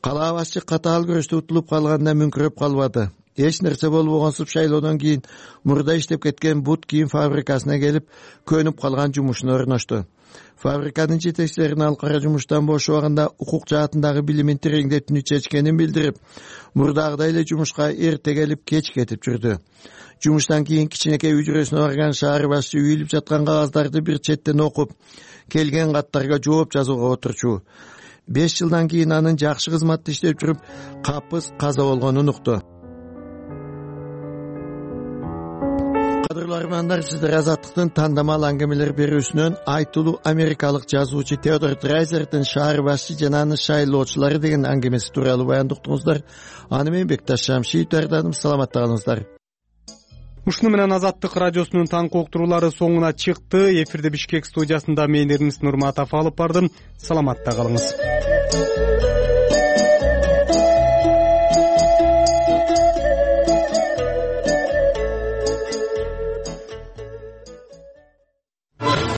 Кала башчы катаал күрөштө утулуп калганда мүңкүрөп калбады. эч нерсе болбогонсуп шайлоодон кийин мурда иштеп кеткен бут кийим фабрикасына келип көнүп калган жумушуна орношту. Фабриканын жетекчилеринин ал кара жумуштан бошобаганда укук жаатындагы билимин тереңдетүүнү чечкенин билдирип, мурдагыдай эле жумушка эрте келип кеч кетип жүрдү. Жумуштан кийин кичинекей үчүрөсүнө барган шаар башчы үйүлүп жаткан кагаздарды бир четтен окуп, келген каттарга жооп жазууга отурчу. беш жылдан кийин анын жакшы кызматта иштеп жүрүп, капыс каза болгонун укту. Кадырлуу армандар, сиздер Азаттыктын тандамал аңгемелер берүүсүнөн айтылуу америкалык жазуучу Теодор Драйзердин шаар башчы жана анын шайлоочулары деген аңгемеси тууралуу баяндуктуңуздар. Аны мен Бекташ Шамши тарданым. Саламатта калыңыздар. Ушуну менен Азаттык радиосунун таңкы уктуруулары соңуна чыкты. Эфирде Бишкек студиясында мен Эрнис Нурматов алып бардым. Саламатта калыңыз.